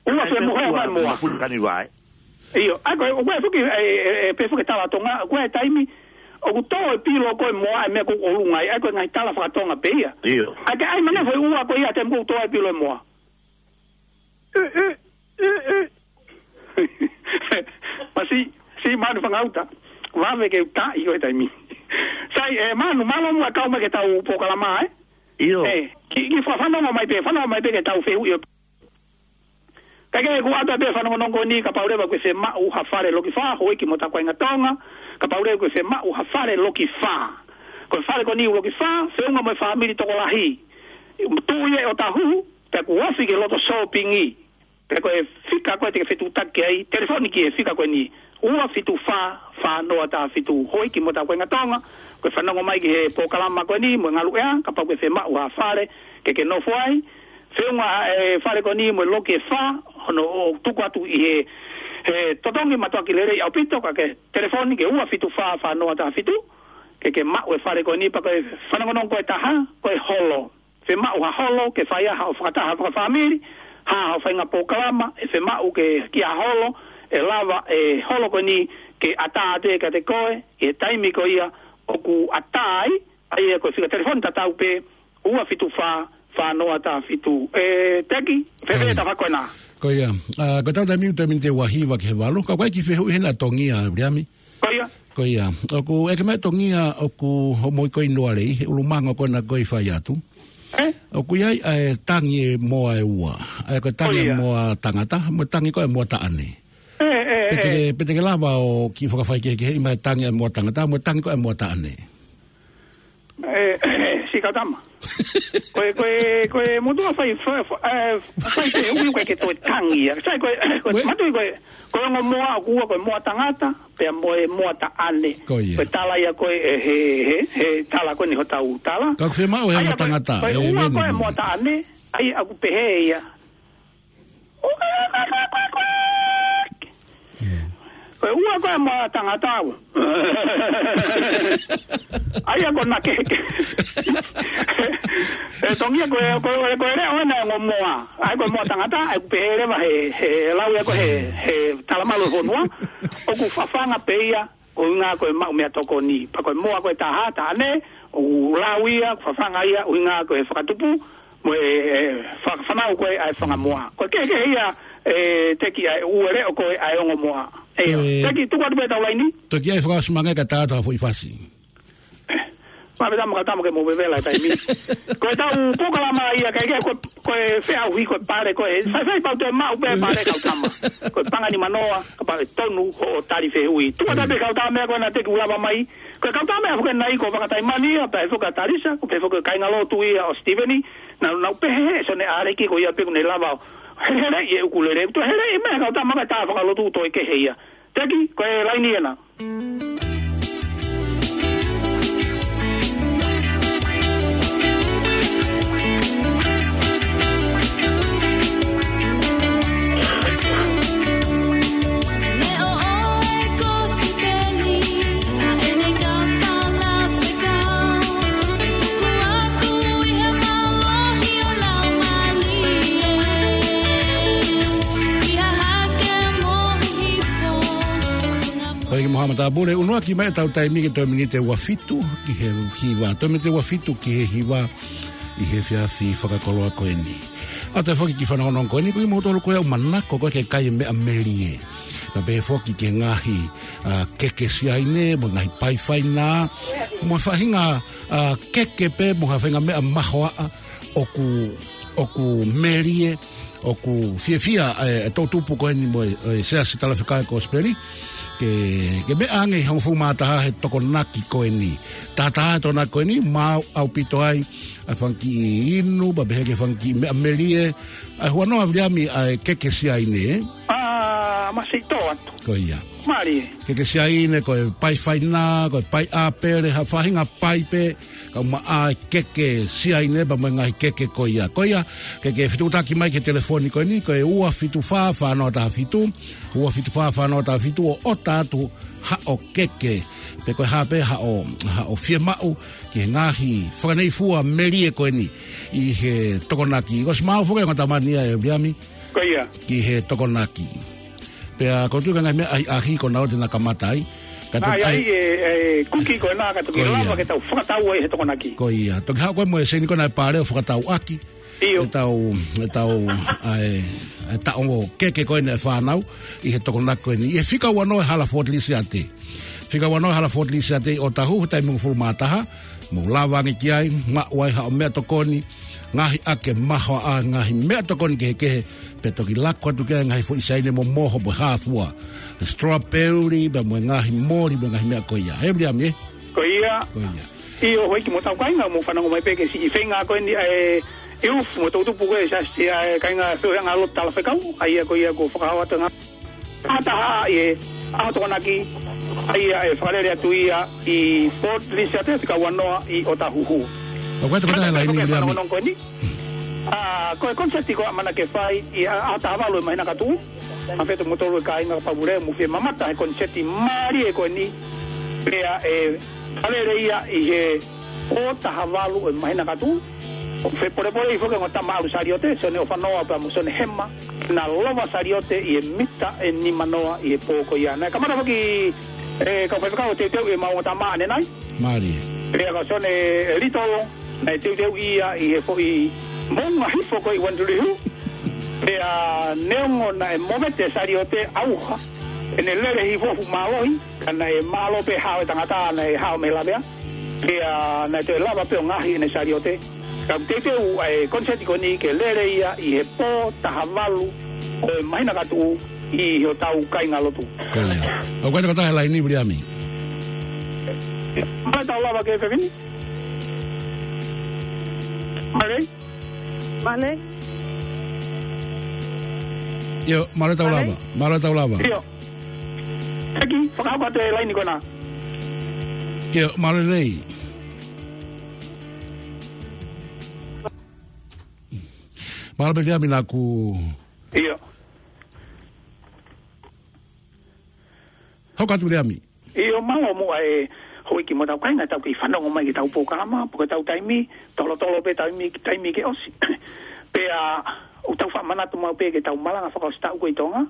Ua ʻAi, pē, femohe ua, ua moa. Pule kani vai. ʻIo, ʻa ko e, ʻoku ʻi ai foki, ē, ē, ē, pē foki e tala Tonga, ʻoku ʻi ai e taimi, ʻoku tō e pilo ko ē moa ʻa e meʻa ko ē ʻolunga ai, ʻa ko e ngaahi tala fakatonga pē ia. ʻIo. ʻA ke ʻai mai ange foʻi ua ko ia he taimi ʻoku tō e pilo e moa. ʻE, ʻe, ʻe, ʻe. Masiʻi, siʻi Manu Fangauta. Vave ke u taʻi koe he taimi ni. Sai, ē, Manu, mālō muʻa e kau mai ki heʻetau polokalama, ē? ʻIo. ʻE, kiʻi, kiʻi fa-, fanongo mai pē, fanongo mai pē ki heʻetau fehuʻi ʻo Kae kehe ʻoku ʻatā pē e fanongonongo ni, kapau leva ʻoku ke fiemaʻu ha fale loki fā, houʻeiki mo e taha kuo ʻalu ki Tonga, kapau leva ʻoku ke fiemaʻu ha fale loki fā. Ko e fale ko eni loki fā, feʻunga mo e fāmili tokolahi. Tuʻu ia ʻi ʻŌtāhuhu, pea ʻoku ofi ki he loto sōpingi. Pea ko e fika ko ē te ke fetuʻutaki ai, telefoni ki he fika ko eni, ua fitu fā, fā noa taha fitu, houʻeiki mo e taha kuo ʻalu ki Tonga, ko e fanongo mai ki he polokalama ko eni, mo e ngaluʻea, kapau ʻoku ke fiemaʻu ha fale, ke ke nofo ai, feʻunga e fale ko eni mo e loki ʻe fā, hono ʻoku tuku atu ʻi he, he totongi mātuʻaki lelei ʻaupito, ka ke telefoni ki he ua fitu fā, fā noa taha fitu, ke ke maʻu e fale ko eni pea ko e fanongonongo ko ē ʻe taha, ko e holo. Fiemaʻu ha holo, ke fai ai haʻo fakataha fakafāmili, ha, haʻo faʻahinga polokalama, ʻe fiemaʻu ke kiʻi holo, ʻe lava e holo ko eni ke ʻatā atu kiate koe, ʻi he taimi ko ia ʻoku ʻatā ai, ʻa ia ko e fika telefoni tatau pē, ua fitu fā, fā noa taha fitu. ʻE, Teki, fēfē e tafaʻaki ko ena? Ko ia. ʻA, ko ʻetau taimi, taimi ni ʻe ua hiva ki he valu. Ka ʻoku ʻi ai e kiʻi fehuʻi heni ʻa Tongia, Viliami. Ko ia. Ko ia. ʻOku ʻeke mai ʻe Tongia, ʻoku hoʻomou ʻi Noalei, he ʻulungaanga ko ena ʻoku fai atu. ʻE? ʻOku ʻi ai ʻa e tangi e moa ʻe ua. ʻA ia ko e tangi e moa tangata, mo e tangi ko ē e moa taʻane. ʻE, ʻe, pe te ke, pe te ke lava ʻo kiʻi fakafaikehekeheʻi mai e tangi e moa tangata, mo e tangi ko ē e moa taʻane. ʻE, siʻi kau tama. Ko e, ko e, ko e motuʻa fai, fai, fai, ʻe, fai fehuʻi ʻoku ʻikai ke toe tangi ia. Sai ko e, ko e, matuʻi ko e, ko e ongo moa ʻoku ua ko e moa tangata, pea mo e moa taʻane. Ko ia. Ko e tala ia ko ē, he, he, he tala ko eni hotau tala. Ka ʻoku fiemaʻu e moa tangata, ko e ua ko e moa taʻane, ʻa ia ʻoku pehē ia. Ko e ua ko e moa tangata au. ʻA ia ko ena ke, ke. ʻE Tongia ko e, ko e, ko e leʻo ena e ongo moa. ʻA ia ko e moa tangata, ʻa ia ʻoku pehē leva he, he lau ia ko ē he, he talamalu ʻo e fonua. ʻOku fafanga pē ia, ko e ʻuhinga ko e maʻu meʻatokoni. Pea ko e moa ko ē ʻe taha, taʻane, ʻoku lau ia, ʻoku fafanga ia, ʻuhinga ko e fakatupu, mo e, e, fa-, fanau ko ē ʻa e fanga moa. Ko e kehekehe ia, e, Teki, ʻa e ʻū leʻo ko ē ʻa e ongo moa. ʻIo, Ko e Teki, tuku atu pē ʻetau laini. Toki ʻai fakaʻosi mai ange kae tā atu ha foʻi fasi. Mā pē tama ka tama ke mo vevela e taimi. Ko ʻetau polokalama ia, kae kehe ko, ko e feʻauhi ko e pale ko ē. Sai sai pau te maʻu pē pale kau tama. Ko e panga ni manoa, kapau ʻe tonu hoʻo tali fehuʻi. Tuku atu pē kau tama ko ena Teki ʻoku lava mai. Ko e kau tama foki ena ʻi ko Vakataimani ia, pea foki ʻa Talisa, ko pē foki kāingalotu ia ʻo Stephanie, naʻa nau pehē he Sione ʻAleki ko ia pē ʻoku ne lava ʻo heleheleʻi e ʻukulele, toe heleʻi mai kau tama ka tā fakalotu toe kehe ia. Teki, ko e laini ena. Ko e ki Mohamed Abure, ʻunuaki mai ʻetau taimi ki he toe miniti ʻe ua fitu ki he hiva. Toe miniti ʻe ua fitu ki he hiva ʻi he efiafi fakakoloa ko eni. ʻA ʻetau foki ki he fanongonongo ko eni, ko kimoutolu ko ē ʻoku manako ko ē ke kai e meʻa melie. Pea pehē foki ki he ngaahi, ʻa, keke siaine, mo e ngaahi pai fainā, mo e faʻahinga, ʻa, keke pē, mo ha faʻahinga meʻa mahoaʻa, ʻoku, ʻoku melie, ʻoku fiefia, e, e toʻutupu ko eni mo e, e Siasi Talafekau Kosipeli, ke, ke meʻa ange ʻi he hongofulu mā taha he Tokonaki ko eni. Taha taha he Tokonaki ko eni, maʻu ʻaupito ai, ʻa e fanga kiʻi inu, pea pehē ki he fanga kiʻi meʻa melie, ʻa e huanoa Viliami ʻa e keke siaine, ē? ʻA, masiʻi tō atu. Ko ia. Mālie. Keke siaine, ko e pai fainā, ko e pai ʻāpele, ha faʻahinga pai pē, kae ʻumaʻā e keke siaine, pea mo e ngaahi keke ko ia. Ko ia, ke ke fetuʻutaki mai ki he telefoni ko eni, ko e ua fitu fā fā noa taha fitu, ua fitu fā fā noa taha fitu ʻo ʻota atu haʻo keke. Pe ko e hā pē haʻo, haʻo fiemaʻu, ki he ngaahi fakaneifua melie ko eni ʻi he Tokonaki. Ko si mau foki e ngata mania e Viliami. Ko ia. Ki he Tokonaki. Pea ko e tuʻu ka ngaahi meʻa ʻahiʻahi ko ena ʻo te na kamata ai. Ka Nā, te ʻi ai ai e, e kuki ko ena ka toki Ko ia. lava ke tau fakatau ai he Tokonaki. Ko ia. Toki haʻu ko ē mo e seni ko ena e pale ʻo fakatau ʻaki. ʻIo. ʻEtau, ʻetau, ʻa e, ʻa e taʻongo keke ko eni e fānau, ʻi he Tokonaki ko eni. ʻI he fika ua noa e hala Fort Lisiate. Fika ua noa e hala Fort Lisiate ʻi ʻŌtāhuhu he taimi hongofulu mā taha, mou lava ange ki ai, maʻu ai haʻo meʻatokoni, ngaahi ʻake mahoaʻa, ngaahi meʻatokoni kehekehe, pea toki lako atu ki ai ngaahi foʻi siaine momoho mo e hā fua. Strawberry, pea mo e ngaahi moli, mo e ngaahi meʻa ko ia. He Viliami, ē? Ko ia. Ko ia. ʻIo, houʻeiki mo ʻetau kāinga, mou fanongo mai pē ki he siʻi feinga ko eni ʻa e ʻIufu mo e toʻutupu ko ē Siasi ʻa e Kāinga Feohiʻanga Lotu Talafekau, ʻa ia ko ia kuo fakahā atu e ngaahi fakataha ʻi he ʻaho Tokonaki, ʻa ia ʻe fakalele atu ia ʻi Fort Lisiate fika ua noa ʻi ʻŌtāhuhu. ʻOku ʻi ai e tokotaha he laini, Viliami? Fanongonongo ko eni. ʻA, ko e koniseti ko ē ʻamanaki ke fai ʻi he ʻaho taha valu ʻo e māhina ka tuʻu. Mafeto mo tolu e kāinga ka pavule mo fie mamata he koniseti mālie ko eni. Pea ʻe fakalele ia ʻi he pō taha valu ʻo e māhina ka tuʻu. ʻOku fepolepole foki e ongo tama ʻalu saliote, Sione ʻOfanoa pea mo Sione Hema, ke na lova saliote ʻi he mita ʻe nima noa ʻi he pō ko ia. Naʻe kamata foki e kau faifekau ʻo teuteuʻi ʻemau ongo tama ʻanenai. Mālie. Pea ko Sione Litolo, naʻe teuteuʻi ia ʻi he foʻi moʻunga hifo ko ē ʻi Waterloo. Pea neongo naʻe movete e saliote ʻauha, ʻene lele hifo ʻoku mālohi, ka naʻe mālō pē hao e tangata naʻe hao mei he lavea. Pea naʻe toe lava pē ʻo ngaohi ʻene saliote. Ka ʻoku teuteu ʻa e koniseti ko eni ke lele ia ʻi he pō taha valu ʻo e māhina ka tuʻu ʻi hotau kāingalotu. Ko ia. ʻOku ʻi ai e tokotaha he laini, Viliami? Mālō e tau lava ki he fefine. Mālō. Mālō. ʻIo, mālō e tau Mālō. lava. Mālō e tau lava. ʻIo. Teki, fakahoko atu e laini ko ena. ʻIo, mālō lelei. Mālō pē Viliami naʻa ku ʻIo. Hoko atu Viliami. ʻIo, mālō muʻa e houʻeiki mo ʻetau kāinga, tau kei fanongo mai ki heʻetau polokalama, pe ko ʻetau taimi, tolotolo pē taimi, taimi ke ʻosi. Pea ʻoku tau faʻa manatu maʻu pē ki heʻetau malanga fakaʻosi taʻu ko ē ʻi Tonga.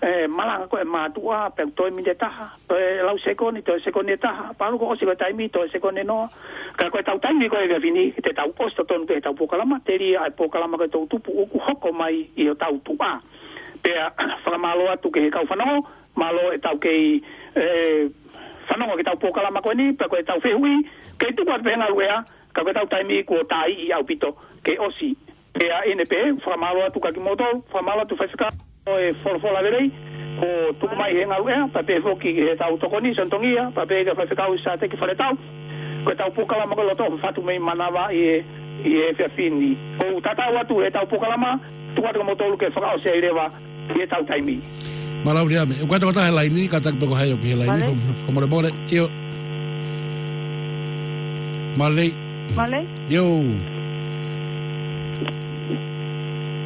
ʻE, malanga ko e mātuʻa, pea toe miniti ʻe taha, toe lau sekoni, toe sekoni ʻe taha, pea ʻalu ko ē ʻosi ko e taimi, toe sekoni ʻe noa. Ka ko ʻetau taimi ko ē he efiafi ni, te tau ʻosi totonu pē ʻetau polokalama, telia ʻa e polokalama ko e Toʻu Tupu ʻoku hoko mai ʻi hotau tuʻa. Pea fakamālō atu ki he kau fanongo, mālō ʻetau kei, ʻe, fanongo ki heʻetau polokalama ko eni, pea ko ʻetau fehuʻi, kei tuku atu pē he ngaluʻea, ka ko ʻetau taimi kuo taaʻi ʻaupito, ke ʻosi. Pea ʻi heʻene pehē, fakamālō atu kia kimoutolu, fakamālō atu faifekau, ʻo e folofola lelei, kuo tuku mai he ngaluʻea, pea pehē foki ki heʻetau tokoni, Sione Tongia, pea pehē kia faifekau Sateki Faletau, ko ʻetau polokalama ko e Loto ʻOfa Fatu mei Manava ʻi he, ʻi he efiafi ni. ʻOku tatau atu heʻetau polokalama, tuku atu kia moutolu ke fakaʻosi ai leva, ʻi heʻetau taimi. Mālō Viliami, ʻoku ʻi ai ha tokotaha he laini, kātaki pē ko hai ʻoku ʻi he laini, Male. fakamolemole, ʻio. Male. Male. ʻIo.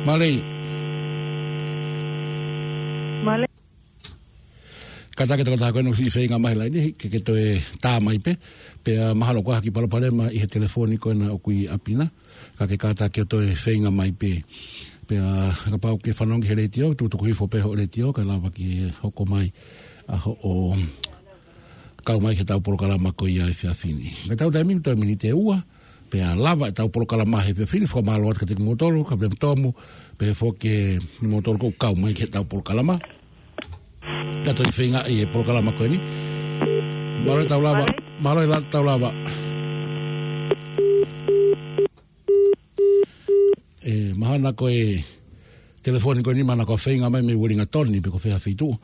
Male. Male. Kātaki tokotaha ko ena ʻoku siʻi feinga mai he laini, ke, ke toe tā mai pē, pea mahalo ko ha kiʻi palopalema ʻi he telefoni ko ena ʻoku ʻi ʻapi na, ka ke kātaki ʻo toe feinga mai pē. Pea kapau ʻoku ke fanongo he letiō, tukutuku hifo pē hoʻo letiō, kae lava ke hoko mai ʻa hoʻo kau mai ki heʻetau polokalama ko ia he efiafi ni. Ko ʻetau taimi ko e toe miniti ʻe ua, pea lava ʻetau polokalama he efiafi ni, fakamālō atu kiate kimoutolu, Kapiteni Tomu, pehē foki kimoutolu ʻoku kau mai ki heʻetau polokalama. Ka toe feinga ʻi he polokalama ko eni. Mālō ʻetau lava, Male. mālō ʻetau lava. ʻE, mahalo ko e telefoni ko eni mahalo ko e feinga mai mei Uelingatoni pe ko fē ha feituʻu,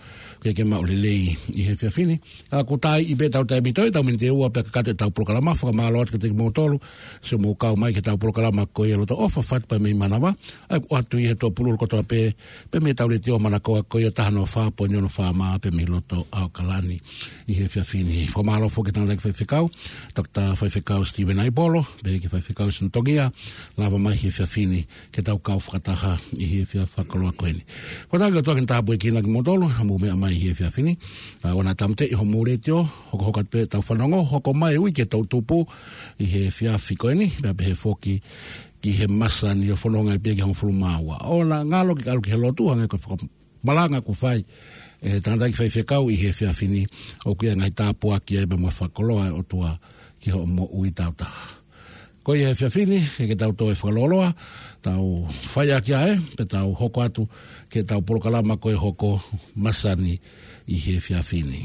ke ke maʻu lelei ʻi he efiafi ni. ʻA, kuo taaʻi pē ʻetau taimi, toe ʻetau miniti ʻe ua pea kakato ʻetau polokalama, fakamālō atu kiate kimoutolu, siʻomou kau mai ki heʻetau polokalama ko ia Loto ʻOfa Fatu pea mei Manava, ʻa ia ʻoku ʻoatu ʻi he tuʻapululu kotoa pē, pea mei heʻetau letiō manakoa ko ia taha noa fā poini ono FM pea mei loto ʻAokalani ʻi he efiafi ni. Fakamālō foki ki he tangataʻeiki faifekau, Toketā Faifekau Steven Aipolo, pehē ki he faifekau Sione Tongia, lava mai he efiafi ni, ke tau kau fakataha ʻi he efiafi fakakoloa ko eni. Ko e tau ki o toki tāpuekina kimoutolu, haʻamou meʻa mai he efiafi ni, ʻa, ʻoua naʻa tāmateʻi hoʻomou letiō, hokohoko atu pē ʻetau fanongo, hoko mai ui ki he Toʻu Tupu ʻi he efiafi ko eni, pea pehē foki ki he masani ʻo fononga pē ki he hongofulu mā ua. ʻOua naʻa ngalo ke ʻalu ki he lotu, hangē ko e faka- malanga kuo fai ʻe he tangataʻeiki faifekau ʻi he efiafi ni, ʻoku ʻi ai e ngaahi tāpuaki ai pea mo e fakakoloa ʻa e ʻOtua ki hoʻo moʻui taautaha. Ko ia he efiafi ni, ke, ke tau toe fakalōloa, tau fai ʻaki ʻa e, pea tau hoko atu ki heʻetau polokalama ko e hoko masani ʻi he efiafi ni.